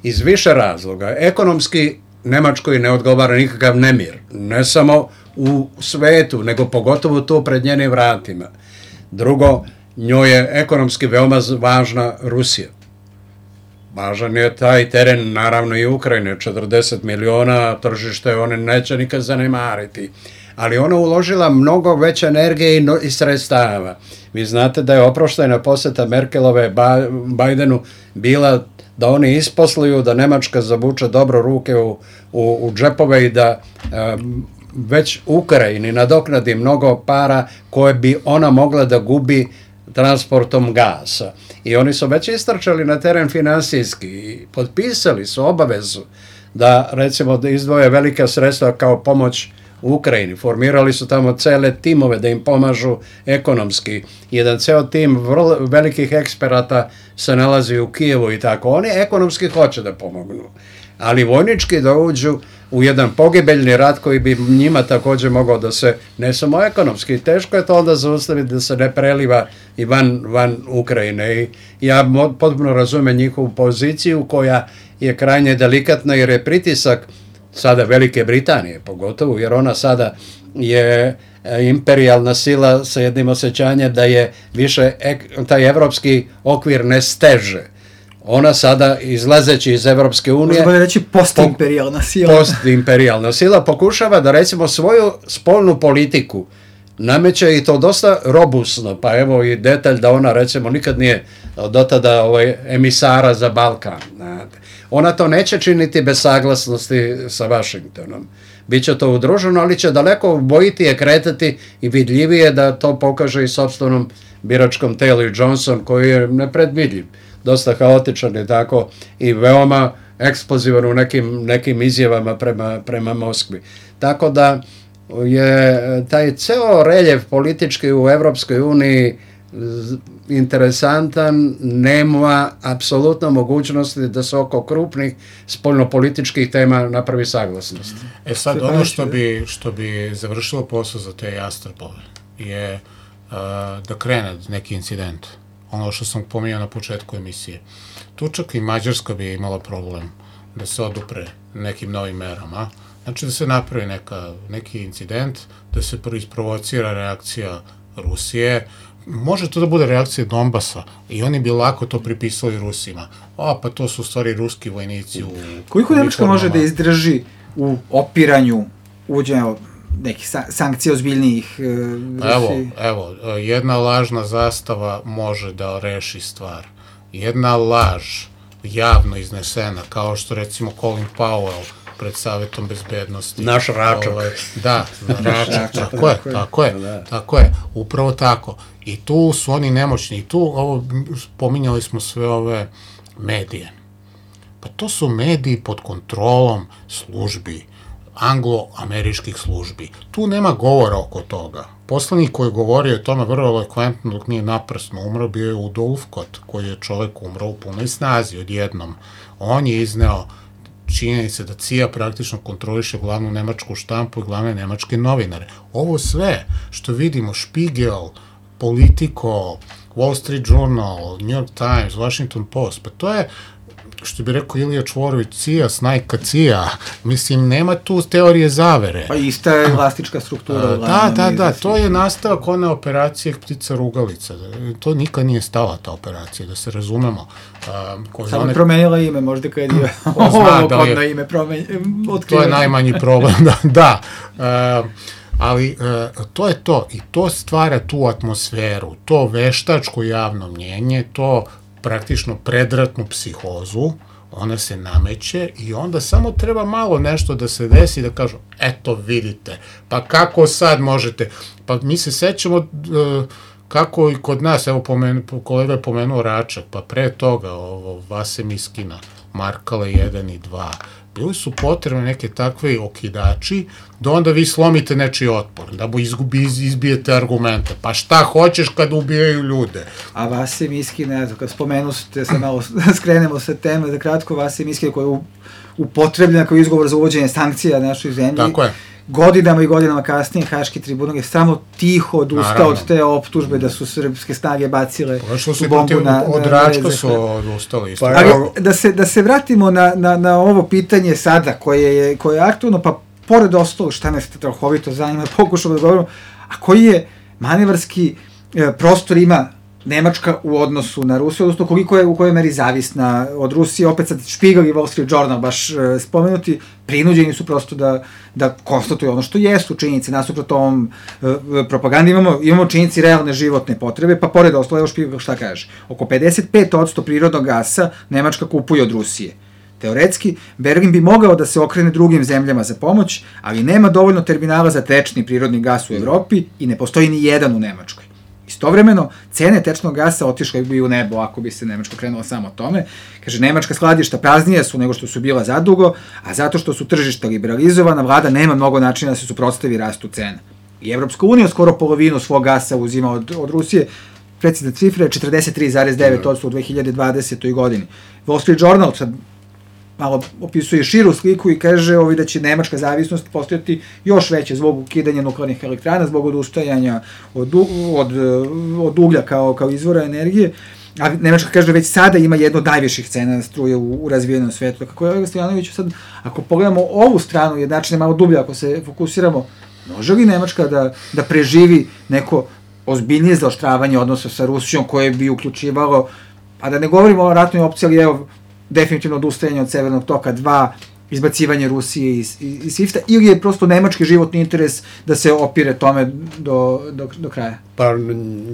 Iz više razloga. Ekonomski Nemačkoj ne odgovara nikakav nemir. Ne samo u svetu, nego pogotovo tu pred njenim vratima. Drugo, njoj je ekonomski veoma važna Rusija. Važan je taj teren, naravno i Ukrajine, 40 miliona tržište, one neće nikad zanemariti. Ali ona uložila mnogo veće energije i sredstava. Vi znate da je oproštajna posjeta Merkelove Bajdenu bila da oni isposluju, da Nemačka zavuče dobro ruke u džepove i da već Ukrajini nadoknadi mnogo para koje bi ona mogla da gubi transportom gasa. I oni su već istrčali na teren finansijski i potpisali su obavezu da, recimo, da izdvoje velika sredstva kao pomoć u Ukrajini. Formirali su tamo cele timove da im pomažu ekonomski. Jedan ceo tim vrlo velikih eksperata se nalazi u Kijevu i tako. Oni ekonomski hoće da pomognu, ali vojnički da uđu u jedan pogibeljni rat koji bi njima također mogao da se, ne samo ekonomski, teško je to onda zaustaviti da se ne preliva i van Ukrajine. I ja potpuno razumijem njihovu poziciju koja je krajnje delikatna jer je pritisak sada Velike Britanije pogotovo, jer ona sada je imperijalna sila sa jednim osjećanjem da je više taj evropski okvir ne steže. Ona sada, izlazeći iz Evropske unije... Možemo reći postimperijalna sila. Postimperijalna sila pokušava da, recimo, svoju spoljnu politiku nameće i to dosta robusno. Pa evo i detalj da ona, recimo, nikad nije do tada emisara za Balkan. Ona to neće činiti bez saglasnosti sa Vašingtonom. Biće to udruženo, ali će daleko bojitije kretati i vidljivije da to pokaže i sopstvenom biračkom telu. I Johnson, koji je nepredvidljiv, dosta haotičan je tako i veoma eksplozivan u nekim izjavama prema Moskvi. Tako da je taj ceo reljev politički u Evropskoj uniji interesantan, nema apsolutno mogućnosti da se oko krupnih spoljnopolitičkih tema napravi saglasnost. Sad, ono što bi završilo posao za te jastrpove je da krene neki incident. Ono što sam pominjao na početku emisije. Tu čak i Mađarska bi imala problem da se odupre nekim novim merama. Znači da se napravi neki incident, da se isprovocira reakcija Rusije. Može to da bude reakcija Donbasa i oni bi lako to pripisali Rusima. Pa to su u stvari ruski vojnici u... Koliko Nemačka može da izdrži u opiranju uvođenja nekih sankcija ozbiljnijih Rusiji? Evo, jedna lažna zastava može da reši stvar. Jedna laž javno iznesena, kao što recimo Colin Powell pred Savetom bezbednosti. Naš Račak. Da, Račak, tako je, upravo tako. I tu su oni nemoćni. I tu, pominjali smo sve ove medije. Pa to su mediji pod kontrolom službi, anglo-američkih službi. Tu nema govora oko toga. Poslanik koji govori o tome vrlo elokventno dok nije naprasno umro bio je Udo Ulfkot, koji je čovek umro u punoj snazi odjednom. On je izneo činjenice da CIA praktično kontroliše glavnu nemačku štampu i glavne nemačke novinare. Ovo sve što vidimo, Spiegel, Politico, Wall Street Journal, New York Times, Washington Post, pa to je što bi rekao Ilija Čvorović, cija, snajka, cija. Mislim, nema tu teorije zavere. Pa ista je elastička struktura. Da, to je nastavak one operacije Ptica rugalica. To nikad nije stala, ta operacija, da se razumemo. Samo promenila ime, možda kad je ovo kodno ime otkriveno. To je najmanji problem, da. Ali to je to i to stvara tu atmosferu, to veštačko javno mnjenje, to praktično predratnu psihozu, ona se nameće i onda samo treba malo nešto da se desi da kažu, eto vidite, pa kako sad možete, pa mi se sećamo kako i kod nas, evo kolega je pomenuo Račak, pa pre toga Vase Miskina, Markale 1 i 2, bili su potrebne neke takve okidači da onda vi slomite nečiji otpor, da izbijete argumente. Pa šta hoćeš kad ubijaju ljude? A Vase Miskina, eto, kad spomenu ste se malo, skrenemo sa teme, da kratko, Vase Miskina koja je upotrebljena kao izgovor za uvođenje sankcija našoj zemlji. Tako je. Godinama i godinama kasnije Haški tribunal je samo tiho odustao od te optužbe da su srpske snage bacile bombu na od Račka su odustali isto. Da se vratimo na ovo pitanje sada koje je aktualno, pa pored ostalo šta me strahovito zanima, pokušamo da govorimo, a koji je manevarski prostor ima Nemačka u odnosu na Rusiju, odnosno koliko je u kojoj meri zavisna od Rusije, opet sad Spiegel i Wall Street Journal baš spomenuti, prinuđeni su prosto da konstatuju ono što jesu činjenice, nasuprot ovom propagandi, imamo činjenici realne životne potrebe, pa pored ostalo, evo Spiegel šta kaže, oko 55% prirodnog gasa Nemačka kupuje od Rusije. Teoretski, Berlin bi mogao da se okrene drugim zemljama za pomoć, ali nema dovoljno terminala za tečni prirodni gas u Evropi i ne postoji ni jedan u Nemačkoj. Istovremeno, cene tečnog gasa otišle bi u nebo ako bi se Nemačka krenula samo tome. Kaže, nemačka skladišta praznija su nego što su bila zadugo, a zato što su tržišta liberalizovana, vlada nema mnogo načina da se suprotstavi rastu cena. I Evropska unija skoro polovinu svog gasa uzima od Rusije, precizna cifra je 43,9% u 2020. godini. Wall Street Journal sad malo opisuje širu sliku i kaže da će nemačka zavisnost postojati još veće zbog ukidanja nuklearnih elektrana, zbog odustajanja od uglja kao izvora energije. A Nemačka kaže da već sada ima jedno od najviših cena struje u razvijenom svetu. Kako je Stojanović sad, ako pogledamo ovu stranu jednačine malo dublje, ako se fokusiramo, može li Nemačka da preživi neko ozbiljnije zaoštravanje odnosa sa Rusijom koje bi uključivalo, a da ne govorimo o ratnoj opciji, ali evo, definitivno odustajanje od Severnog toka 2, izbacivanje Rusije iz SWIFT-a, ili je prosto nemački životni interes da se opire tome do kraja? Pa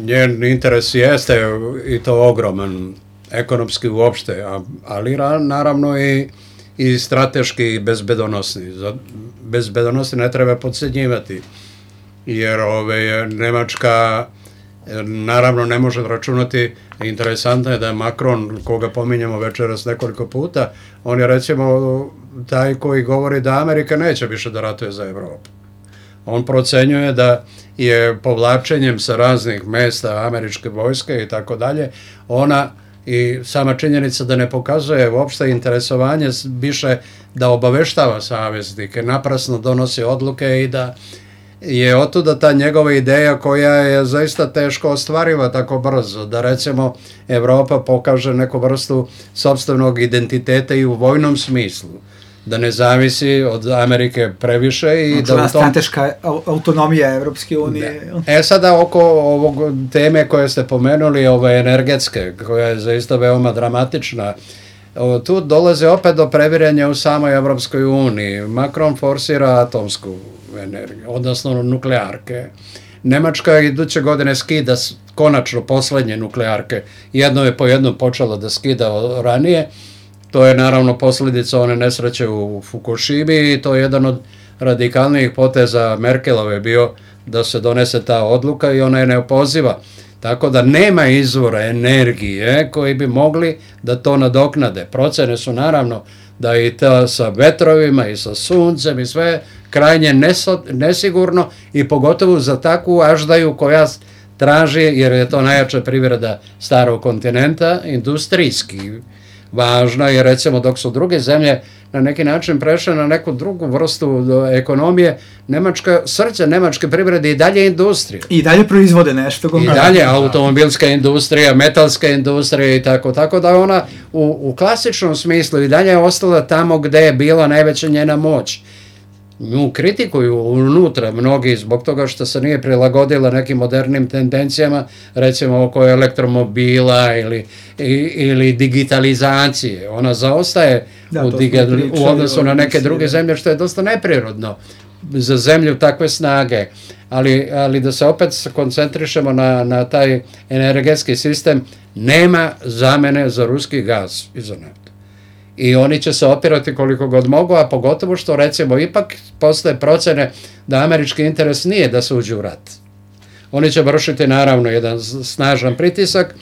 njen interes jeste i to ogroman, ekonomski uopšte, ali naravno i strateški i bezbedonosni. Bezbedonosni ne treba podcenjivati, jer Nemačka naravno ne može računati. Interesantno je da je Macron, koga pominjamo večeras nekoliko puta, on je recimo taj koji govori da Amerika neće više da ratuje za Evropu. On procenjuje da je povlačenjem sa raznih mesta američke vojske i tako dalje, ona i sama činjenica da ne pokazuje uopšte interesovanje više da obaveštava saveznike, naprasno donosi odluke i da je otuda ta njegova ideja koja je zaista teško ostvariva tako brzo, da recimo Evropa pokaže neku vrstu sopstvenog identiteta i u vojnom smislu, da ne zavisi od Amerike previše i da u tom... Strateška autonomija Evropske unije. Sada oko ovog teme koje ste pomenuli, ove energetske, koja je zaista veoma dramatična, tu dolaze opet do previranja u samoj Evropskoj uniji. Macron forsira atomsku energiju, odnosno nuklearke. Nemačka iduće godine skida konačno poslednje nuklearke. Jedno je po jednom počelo da skida ranije. To je naravno posljedica one nesreće u Fukushimi i to je jedan od radikalnijih poteza Merkelove bio da se donese ta odluka i ona je neopoziva. Tako da nema izvora energije koji bi mogli da to nadoknade. Procene su naravno da i to sa vetrovima i sa suncem i sve krajnje nesigurno i pogotovo za takvu aždaju koja traži, jer je to najjača privreda starog kontinenta, industrijski važna, jer recimo dok su druge zemlje na neki način prešle na neku drugu vrstu ekonomije, srce nemačke privrede i dalje industrija. I dalje proizvode nešto. I dalje automobilska industrija, metalska industrija i tako da ona u klasičnom smislu i dalje je ostala tamo gde je bila najveća njena moć. Nju kritikuju unutra mnogi zbog toga što se nije prilagodila nekim modernim tendencijama, recimo oko elektromobila ili digitalizacije. Ona zaostaje u odnosu na neke druge zemlje, što je dosta neprirodno za zemlju takve snage. Ali da se opet koncentrišemo na taj energetski sistem, nema zamene za ruski gaz i za naftu. I oni će se opirati koliko god mogu, a pogotovo što recimo ipak postoje procene da američki interes nije da se uđe u rat. Oni će vršiti naravno jedan snažan pritisak,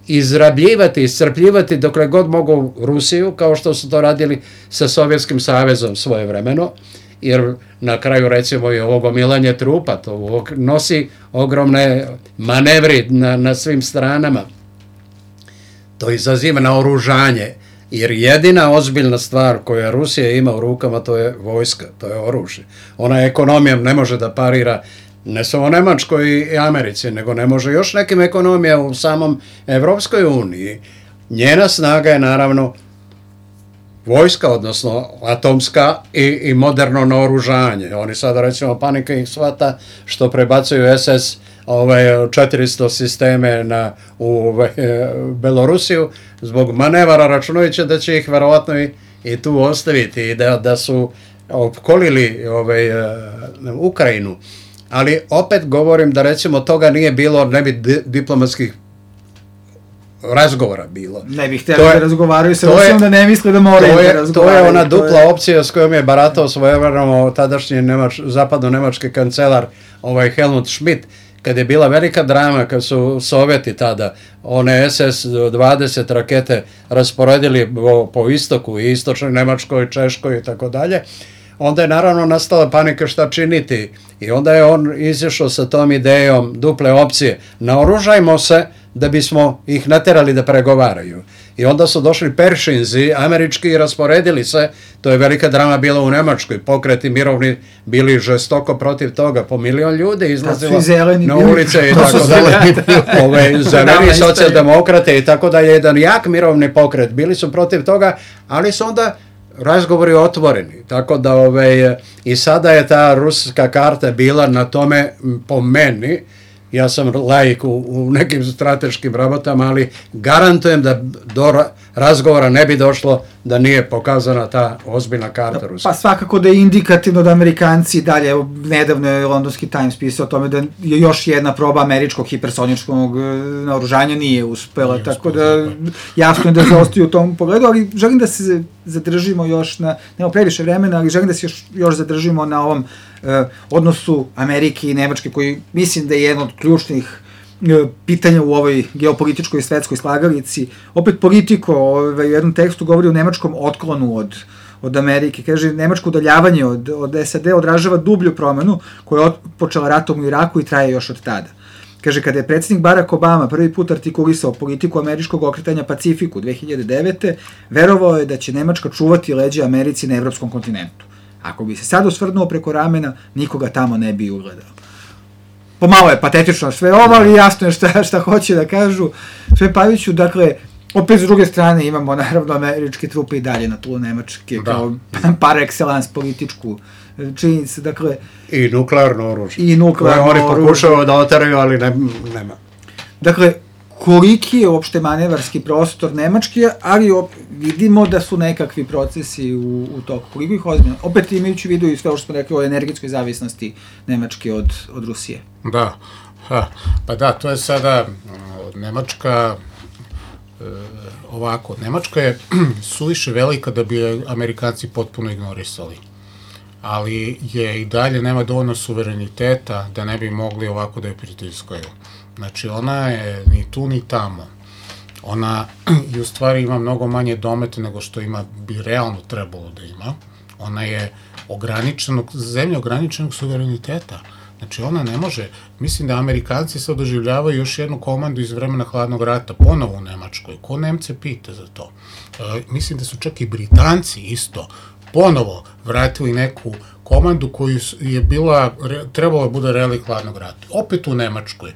izrabljivati, iscrpljivati dokle god mogu Rusiju, kao što su to radili sa Sovjetskim savezom svojevremeno, jer na kraju recimo i ovo gomilanje trupa, to nosi ogromne manevri na svim stranama. To izaziva naoružanje. Jer jedina ozbiljna stvar koju Rusija ima u rukama, to je vojska, to je oružje. Ona ekonomijom ne može da parira ne samo Nemačkoj i Americi, nego ne može još nekim ekonomijama u samom Evropskoj uniji. Njena snaga je naravno vojska, odnosno atomska i moderno naoružanje. Oni sada recimo panika ih shvata što prebacuju SS 400 sisteme u Belorusiju zbog manevara, računajući da će ih verovatno i tu ostaviti i da su opkolili Ukrajinu. Ali opet govorim da recimo toga nije bilo, ne bi diplomatskih razgovora bilo. Ne bih htjeli da razgovaraju sa Rusijom, da ne misle da moraju da razgovaraju. To je ona dupla opcija s kojom je baratao svojevremeno tadašnji zapadno-nemački kancelar Helmut Schmidt, kad je bila velika drama, kad su Sovjeti tada one SS-20 rakete rasporedili po istoku i istočnoj Nemačkoj, Češkoj i tako dalje, onda je naravno nastala panika šta činiti i onda je on izišao sa tom idejom duple opcije. Naoružajmo se da bismo ih naterali da pregovaraju. I onda su došli Peršinzi, američki, i rasporedili se, to je velika drama bila u Nemačkoj, pokreti mirovni bili žestoko protiv toga, po 1 milion ljudi izlazilo na ulice i tako dalje. Zeleni socijaldemokrate i tako dalje, jedan jak mirovni pokret, bili su protiv toga, ali su onda razgovori otvoreni, tako da i sada je ta ruska karta bila na tome, po meni, ja sam laik u nekim strateškim rabotama, ali garantujem da do razgovora ne bi došlo da nije pokazana ta ozbiljna karta Rusije. Pa svakako da je indikativno da Amerikanci dalje, nedavno je Londonski Times pisao o tome da je još jedna proba američkog hipersoničkog naoružanja nije uspela, tako da jasno je da zaostaju u tom pogledu, ali želim da se zadržimo još nema previše vremena, ali želim da se još zadržimo na ovom odnosu Amerike i Nemačke, koji mislim da je jedno od ključnih pitanja u ovoj geopolitičkoj i svetskoj slagalici. Opet Politico u jednom tekstu govori o nemačkom otklonu od Amerike. Kaže, nemačko udaljavanje od SAD odražava dublju promenu koja je počela ratom u Iraku i traje još od tada. Kaže, kada je predsjednik Barack Obama prvi put artikulisao politiku američkog okretanja Pacifiku 2009. verovao je da će Nemačka čuvati leđa Americi na evropskom kontinentu. Ako bi se sad osvrnuo preko ramena, nikoga tamo ne bi ugledao. Pomalo je patetično sve ovo, ali jasno je šta hoće da kažu. Sve Paviću, dakle, opet s druge strane imamo naravno američke trupe i dalje na tlu Nemačke, kao par excellence političku činjenicu, dakle... I nuklearno oružje. Koje oni pokušaju da oteraju, ali nema. Dakle, koliki je uopšte manevarski prostor Nemačke, ali vidimo da su nekakvi procesi u toku. Koliko ih ozbiljno? Opet imajući vidu i sve što smo rekli o energetskoj zavisnosti Nemačke od Rusije. Da, pa da, to je sada Nemačka, ovako, Nemačka je suviše velika da bi Amerikanci potpuno ignorisali, ali je i dalje nema dovoljno suvereniteta da ne bi mogli ovako da je pritiskaju. Znači, ona je ni tu ni tamo. Ona i u stvari ima mnogo manje domete nego što bi realno trebalo da ima. Ona je zemlja ograničenog suvereniteta. Znači, ona ne može, mislim da Amerikanci sad doživljavaju još jednu komandu iz vremena hladnog rata, ponovo u Nemačkoj. Ko Nemce pita za to? Mislim da su čak i Britanci isto ponovo vratili neku komandu koju je trebalo da bude relik hladnog rata. Opet u Nemačkoj.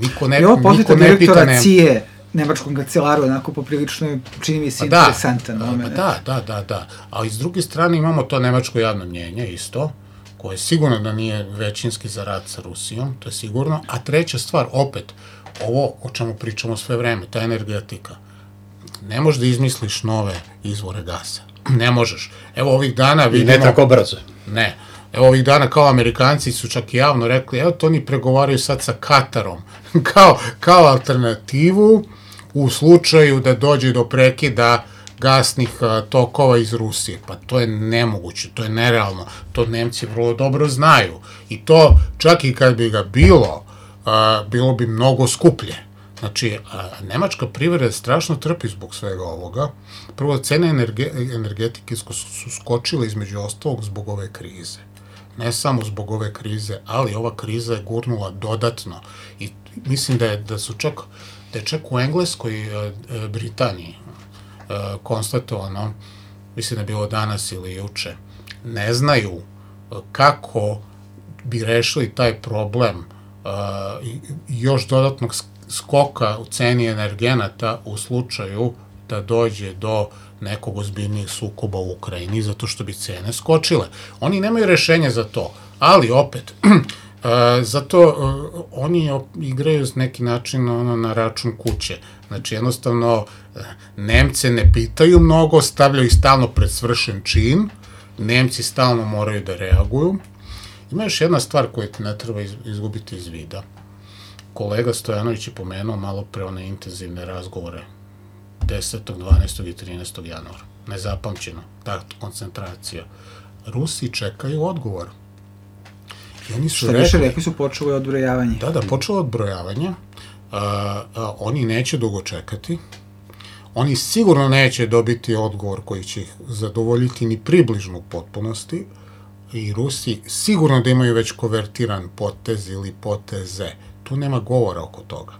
Niko ne posjeta pita direktora CIA nemačkom kancelaru, onako poprilično čini mi se interesantan moment. Da. Ali s druge strane imamo to nemačko javno mnjenje isto, koje sigurno da nije većinski za rat sa Rusijom, to je sigurno. A treća stvar, opet, ovo o čemu pričamo sve vreme, ta energetika. Ne možeš da izmisliš nove izvore gasa. Ne možeš. Evo ovih dana vidimo... I ne tako brzo. Ne. Evo ovih dana kao Amerikanci su čak javno rekli, evo to oni pregovaraju sad sa Katarom kao alternativu u slučaju da dođe do prekida gasnih tokova iz Rusije. Pa to je nemoguće, to je nerealno. To Nemci vrlo dobro znaju. I to čak i kad bi ga bilo bi mnogo skuplje. Znači, nemačka privreda strašno trpi zbog svega ovoga. Prvo, cene energetike su skočile između ostalog zbog ove krize. Ne samo zbog ove krize, ali ova kriza je gurnula dodatno. I mislim da je čak u Engleskoj i Britaniji konstatovano, mislim da je bilo danas ili juče, ne znaju kako bi rešili taj problem još dodatnog skoka u ceni energenata u slučaju da dođe do nekog ozbiljnijeg sukoba u Ukrajini, zato što bi cene skočile. Oni nemaju rešenje za to, ali opet, zato oni igraju s neki način na račun kuće. Znači, jednostavno, Nemce ne pitaju mnogo, stavljaju ih stalno pred svršen čin, Nemci stalno moraju da reaguju. Ima još jedna stvar koju ti ne treba izgubiti iz vida. Kolega Stojanović je pomenuo malo pre one intenzivne razgovore 10., 12. i 13. januara. Nezapamćeno, ta koncentracija. Rusi čekaju odgovor. I oni su rekli su počelo odbrojavanje. Da, počelo odbrojavanje. Oni neće dugo čekati. Oni sigurno neće dobiti odgovor koji će ih zadovoljiti ni približno u potpunosti. I Rusi sigurno da imaju već konvertiran potez ili poteze. Tu nema govora oko toga.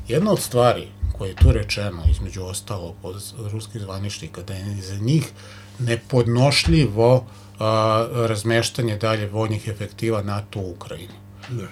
Jedna od stvari koje je tu rečeno, između ostalog od ruskih zvaničnika, da je za njih nepodnošljivo razmeštanje dalje vojnih efektiva NATO u Ukrajini.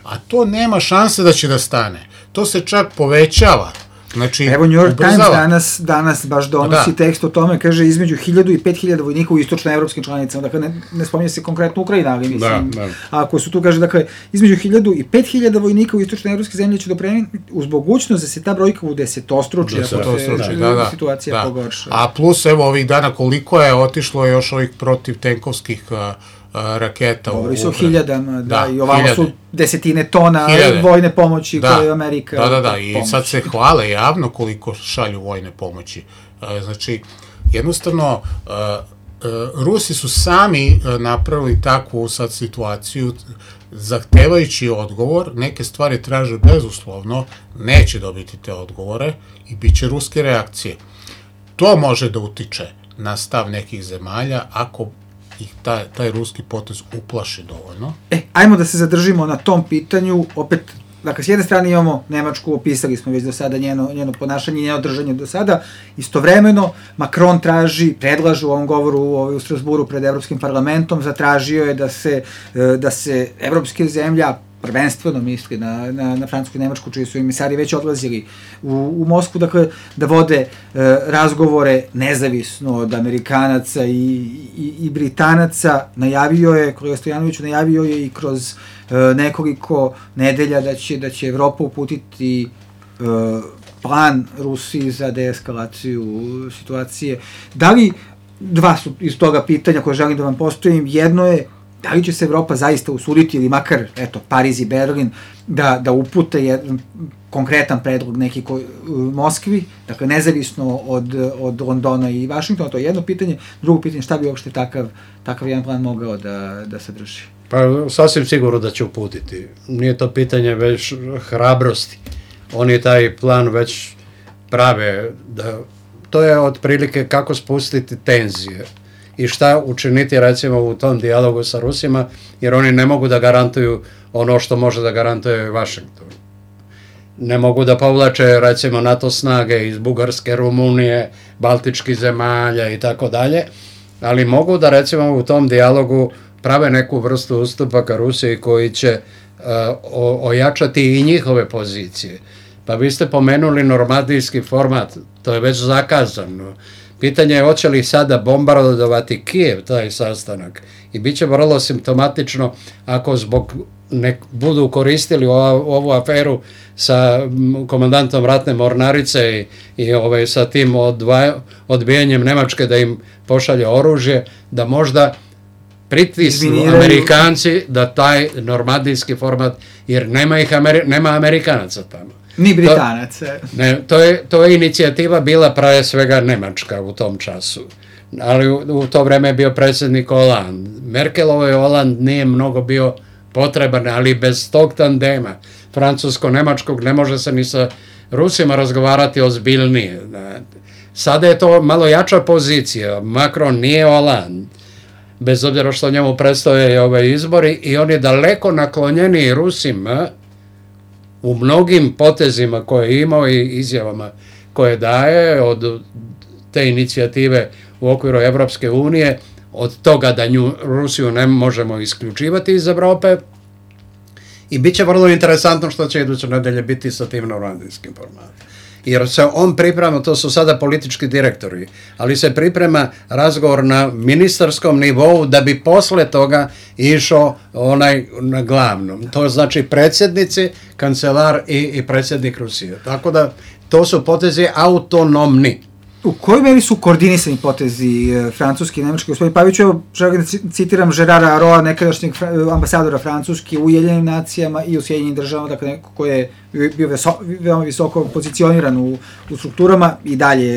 A to nema šanse da će da stane. To se čak povećava. Znači, evo New York Times danas baš donosi tekst o tome, kaže između 1000 i 5000 vojnika u istočnoevropskim članicama, dakle ne spominje se konkretno Ukrajina, ali mislim, ako su tu, kaže, dakle, između 1000 i 5000 vojnika u istočnoevropske zemlje će dopremiti uz mogućnost da se ta brojka u desetostruči, ako se situacija pogorša. A plus, evo, ovih dana koliko je otišlo još ovih protivtenkovskih raketa. Govori se o hiljadama, i ovamo su desetine tona vojne pomoći koje je Amerika... Da, i sad se hvale javno koliko šalju vojne pomoći. Znači, jednostavno, Rusi su sami napravili takvu sad situaciju, zahtevajući odgovor, neke stvari traže bezuslovno, neće dobiti te odgovore i bit će ruske reakcije. To može da utiče na stav nekih zemalja ako ih taj ruski potez uplaši dovoljno. Ajmo da se zadržimo na tom pitanju, opet, dakle, s jedne strane imamo Nemačku, opisali smo već do sada njeno ponašanje, njeno držanje do sada, istovremeno Macron predlaže u ovom govoru u Strasburu pred Evropskim parlamentom, zatražio je da se evropske zemlja, prvenstveno misli na Francusku i Nemačku, čiji su emisari već odlazili u Moskvu, dakle, da vode razgovore nezavisno od Amerikanaca i Britanaca. Kolega Stojanović najavio je i kroz nekoliko nedelja da će Evropa uputiti plan Rusiji za deeskalaciju situacije. Da li, dva su iz toga pitanja koje želim da vam postavim, jedno je da li će se Evropa zaista usuditi ili makar, Pariz i Berlin, da upute jedan konkretan predlog neki Moskvi, dakle nezavisno od Londona i Vašingtona, to je jedno pitanje. Drugo pitanje, šta bi uopšte takav jedan plan mogao da sadrži? Pa sasvim sigurno da će uputiti. Nije to pitanje već hrabrosti. Oni taj plan već prave. To je otprilike kako spustiti tenzije i šta učiniti recimo u tom dijalogu sa Rusima, jer oni ne mogu da garantuju ono što može da garantuje Vašington. Ne mogu da povlače recimo NATO snage iz Bugarske, Rumunije, Baltičkih zemalja i tako dalje, ali mogu da recimo u tom dijalogu prave neku vrstu ustupaka Rusiji koji će ojačati i njihove pozicije. Pa vi ste pomenuli normandijski format, to je već zakazano. Pitanje je hoće li sada bombardovati Kijev taj sastanak i bit će vrlo simptomatično ako zbog budu koristili ovu aferu sa komandantom ratne mornarice i sa tim odbijanjem Nemačke da im pošalje oružje, da možda pritisnu Amerikanci da taj normandijski format, jer nema Amerikanaca tamo. Ni Britanaca. To je inicijativa bila pre svega Nemačka u tom času. Ali u to vreme je bio predsjednik Hollande. Merkelovoj Hollande nije mnogo bio potreban, ali bez tog tandema francusko-nemačkog ne može se ni sa Rusima razgovarati ozbiljnije. Sada je to malo jača pozicija. Macron nije Hollande, bez obzira što njemu predstoje ove izbori, i on je daleko naklonjeniji Rusima u mnogim potezima koje je imao i izjavama koje daje, od te inicijative u okviru Evropske unije, od toga da Rusiju ne možemo isključivati iz Evrope, i bit će vrlo interesantno što će iduće nedelje biti sa tim normandijskim formatom. Jer se on priprema, to su sada politički direktori, ali se priprema razgovor na ministarskom nivou da bi posle toga išao onaj na glavnom. To znači predsjednici, kancelar i predsjednik Rusije. Tako da to su potezi autonomni. U kojoj meri su koordinisani potezi francuski i nemački? Gospodin Pavić, evo, želim da citiram Gerara Aroa, nekadašnjeg ambasadora Francuske u Ujedinjenim nacijama i u Sjedinjenim državama, dakle neko ko je bio veoma visoko pozicioniran u strukturama i dalje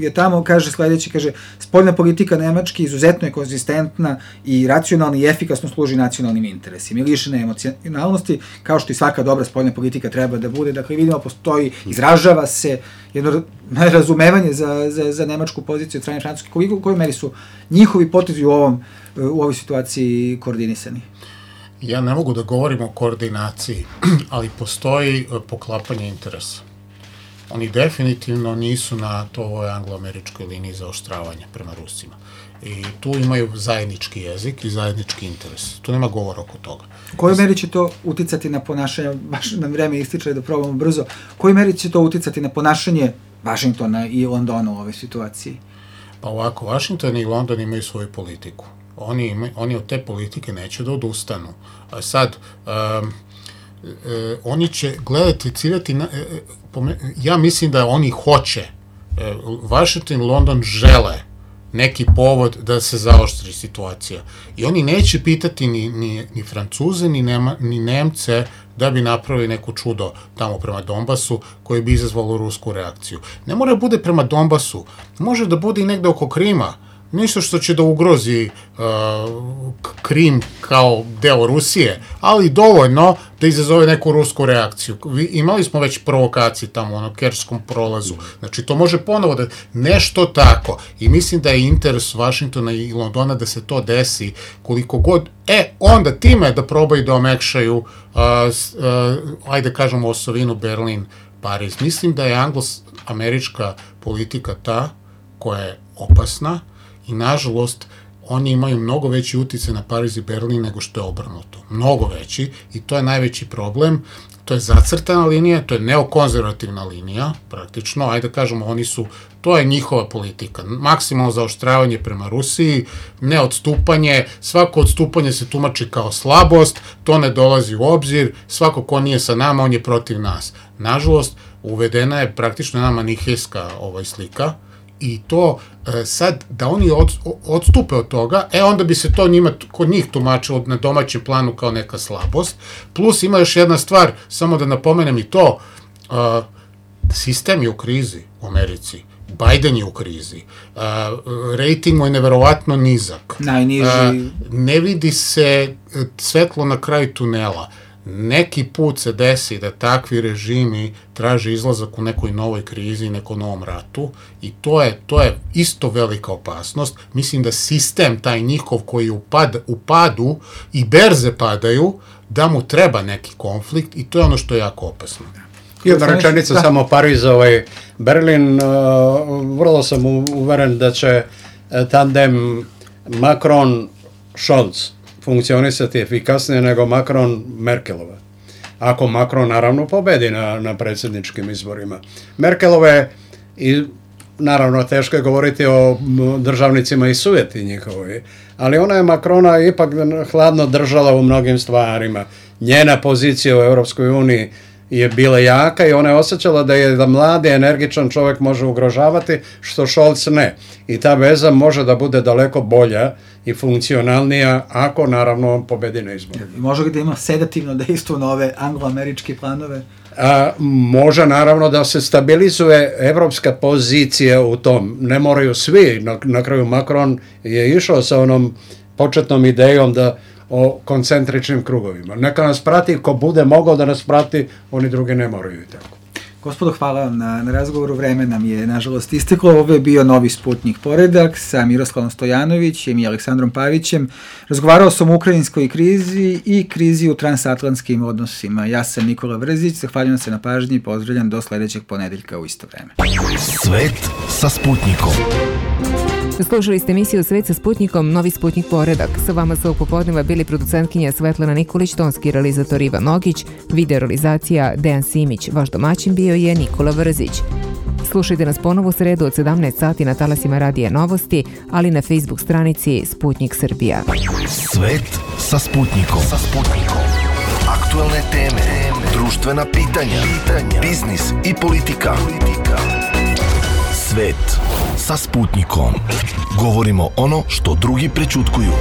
je tamo, kaže sledeće, kaže, spoljna politika Nemačke izuzetno je konzistentna i racionalna i efikasno služi nacionalnim interesima i lišena emocionalnosti, kao što i svaka dobra spoljna politika treba da bude. Dakle, vidimo, postoji, izražava se jedno razumevanje za nemačku poziciju od strane Francuske. U kojoj meri su njihovi potezi u ovoj situaciji koordinisani? Ja ne mogu da govorim o koordinaciji, ali postoji poklapanje interesa. Oni definitivno nisu na ovoj anglo-američkoj liniji zaoštravanja prema Rusima. I tu imaju zajednički jezik i zajednički interes. Tu nema govora oko toga. U kojoj meri će to uticati na ponašanje, baš nam vreme ističe da probamo brzo, u kojoj meri će to uticati na ponašanje Vašingtona i Londona u ovoj situaciji? Pa ovako, Vašington i London imaju svoju politiku. Oni od te politike neće da odustanu. A sad, oni će gledati, ciljati, ja mislim da oni hoće, Washington i London žele neki povod da se zaoštri situacija. I oni neće pitati ni Francuze, ni Nemce da bi napravili neko čudo tamo prema Donbasu koje bi izazvalo rusku reakciju. Ne mora da bude prema Donbasu, može da bude i negde oko Krima, ništa što će da ugrozi Krim kao deo Rusije, ali dovoljno da izazove neku rusku reakciju. Imali smo već provokacije tamo na Kerčskom prolazu, znači to može ponovo da nešto tako, i mislim da je interes Vašingtona i Londona da se to desi koliko god, onda time da probaju da omekšaju, ajde kažemo osovinu Berlin, Pariz. Mislim da je anglo-američka politika ta koja je opasna, i nažalost oni imaju mnogo veći uticaj na Pariz i Berlin nego što je obrnuto. Mnogo veći, i to je najveći problem. To je zacrtana linija, to je neokonzervativna linija, praktično, ajde da kažemo, to je njihova politika. Maksimalno zaoštravanje prema Rusiji, neodstupanje, svako odstupanje se tumači kao slabost, to ne dolazi u obzir, svako ko nije sa nama, on je protiv nas. Nažalost, uvedena je praktično jedna manihejska slika, i to sad da oni odstupe od toga, onda bi se to kod njih tumačilo na domaćem planu kao neka slabost. Plus ima još jedna stvar, samo da napomenem i to, sistem je u krizi u Americi, Biden je u krizi, rejting mu je neverovatno nizak, najniži, ne vidi se svetlo na kraju tunela. neki put se desi da takvi režimi traže izlazak u nekoj novoj krizi, nekom novom ratu i to je isto velika opasnost. Mislim da sistem taj njihov koji je u padu i berze padaju, da mu treba neki konflikt i to je ono što je jako opasno. Jedna rečenica samo Pariz, Berlin, vrlo sam uveren da će tandem Macron-Scholz funkcionisati efikasnije nego Macron-Merkelova. Ako Macron naravno pobedi na predsjedničkim izborima. Merkelove, i naravno teško je govoriti o državnicima i sujeti njihovoj, ali ona je Macrona ipak hladno držala u mnogim stvarima. Njena pozicija u Europskoj uniji je bila jaka i ona je osjećala da mladi, energičan čovjek može ugrožavati, što Scholz ne. I ta veza može da bude daleko bolja i funkcionalnija ako naravno on pobedi na izboru. Može da ima sedativno dejstvo na ove anglo-američke planove? Može naravno da se stabilizuje evropska pozicija u tom. Ne moraju svi. Na kraju Macron je išao sa onom početnom idejom o koncentričnim krugovima. Neka nas prati, ko bude mogao da nas prati, oni drugi ne moraju i tako. Gospodo, hvala vam na razgovoru. Vreme nam je, nažalost, isteklo. Ovo je bio Novi Sputnik poredak sa Miroslavom Stojanovićem i Aleksandrom Pavićem. Razgovarao sam o ukrajinskoj krizi i krizi u transatlantskim odnosima. Ja sam Nikola Vrzić, zahvaljujem se na pažnji i pozdravljam do sledećeg ponedeljka u isto vreme. Svet sa Sputnikom. Slušali ste emisiju Svet sa Sputnikom, Novi Sputnik poredak. Sa vama su ovog popodneva bili producentkinja Svetlana Nikolić, tonski realizator Ivan Nogić, video realizacija Dejan Simić. Vaš domaćin bio je Nikola Vrzić. Slušajte nas ponovo u sredu od 17 sati na talasima Radija Novosti, ali na Facebook stranici Sputnik Srbija. Svet sa Sputnikom. Aktualne teme, društvena pitanja, biznis i politika. Svet sa Sputnikom. Govorimo ono što drugi prećutkuju.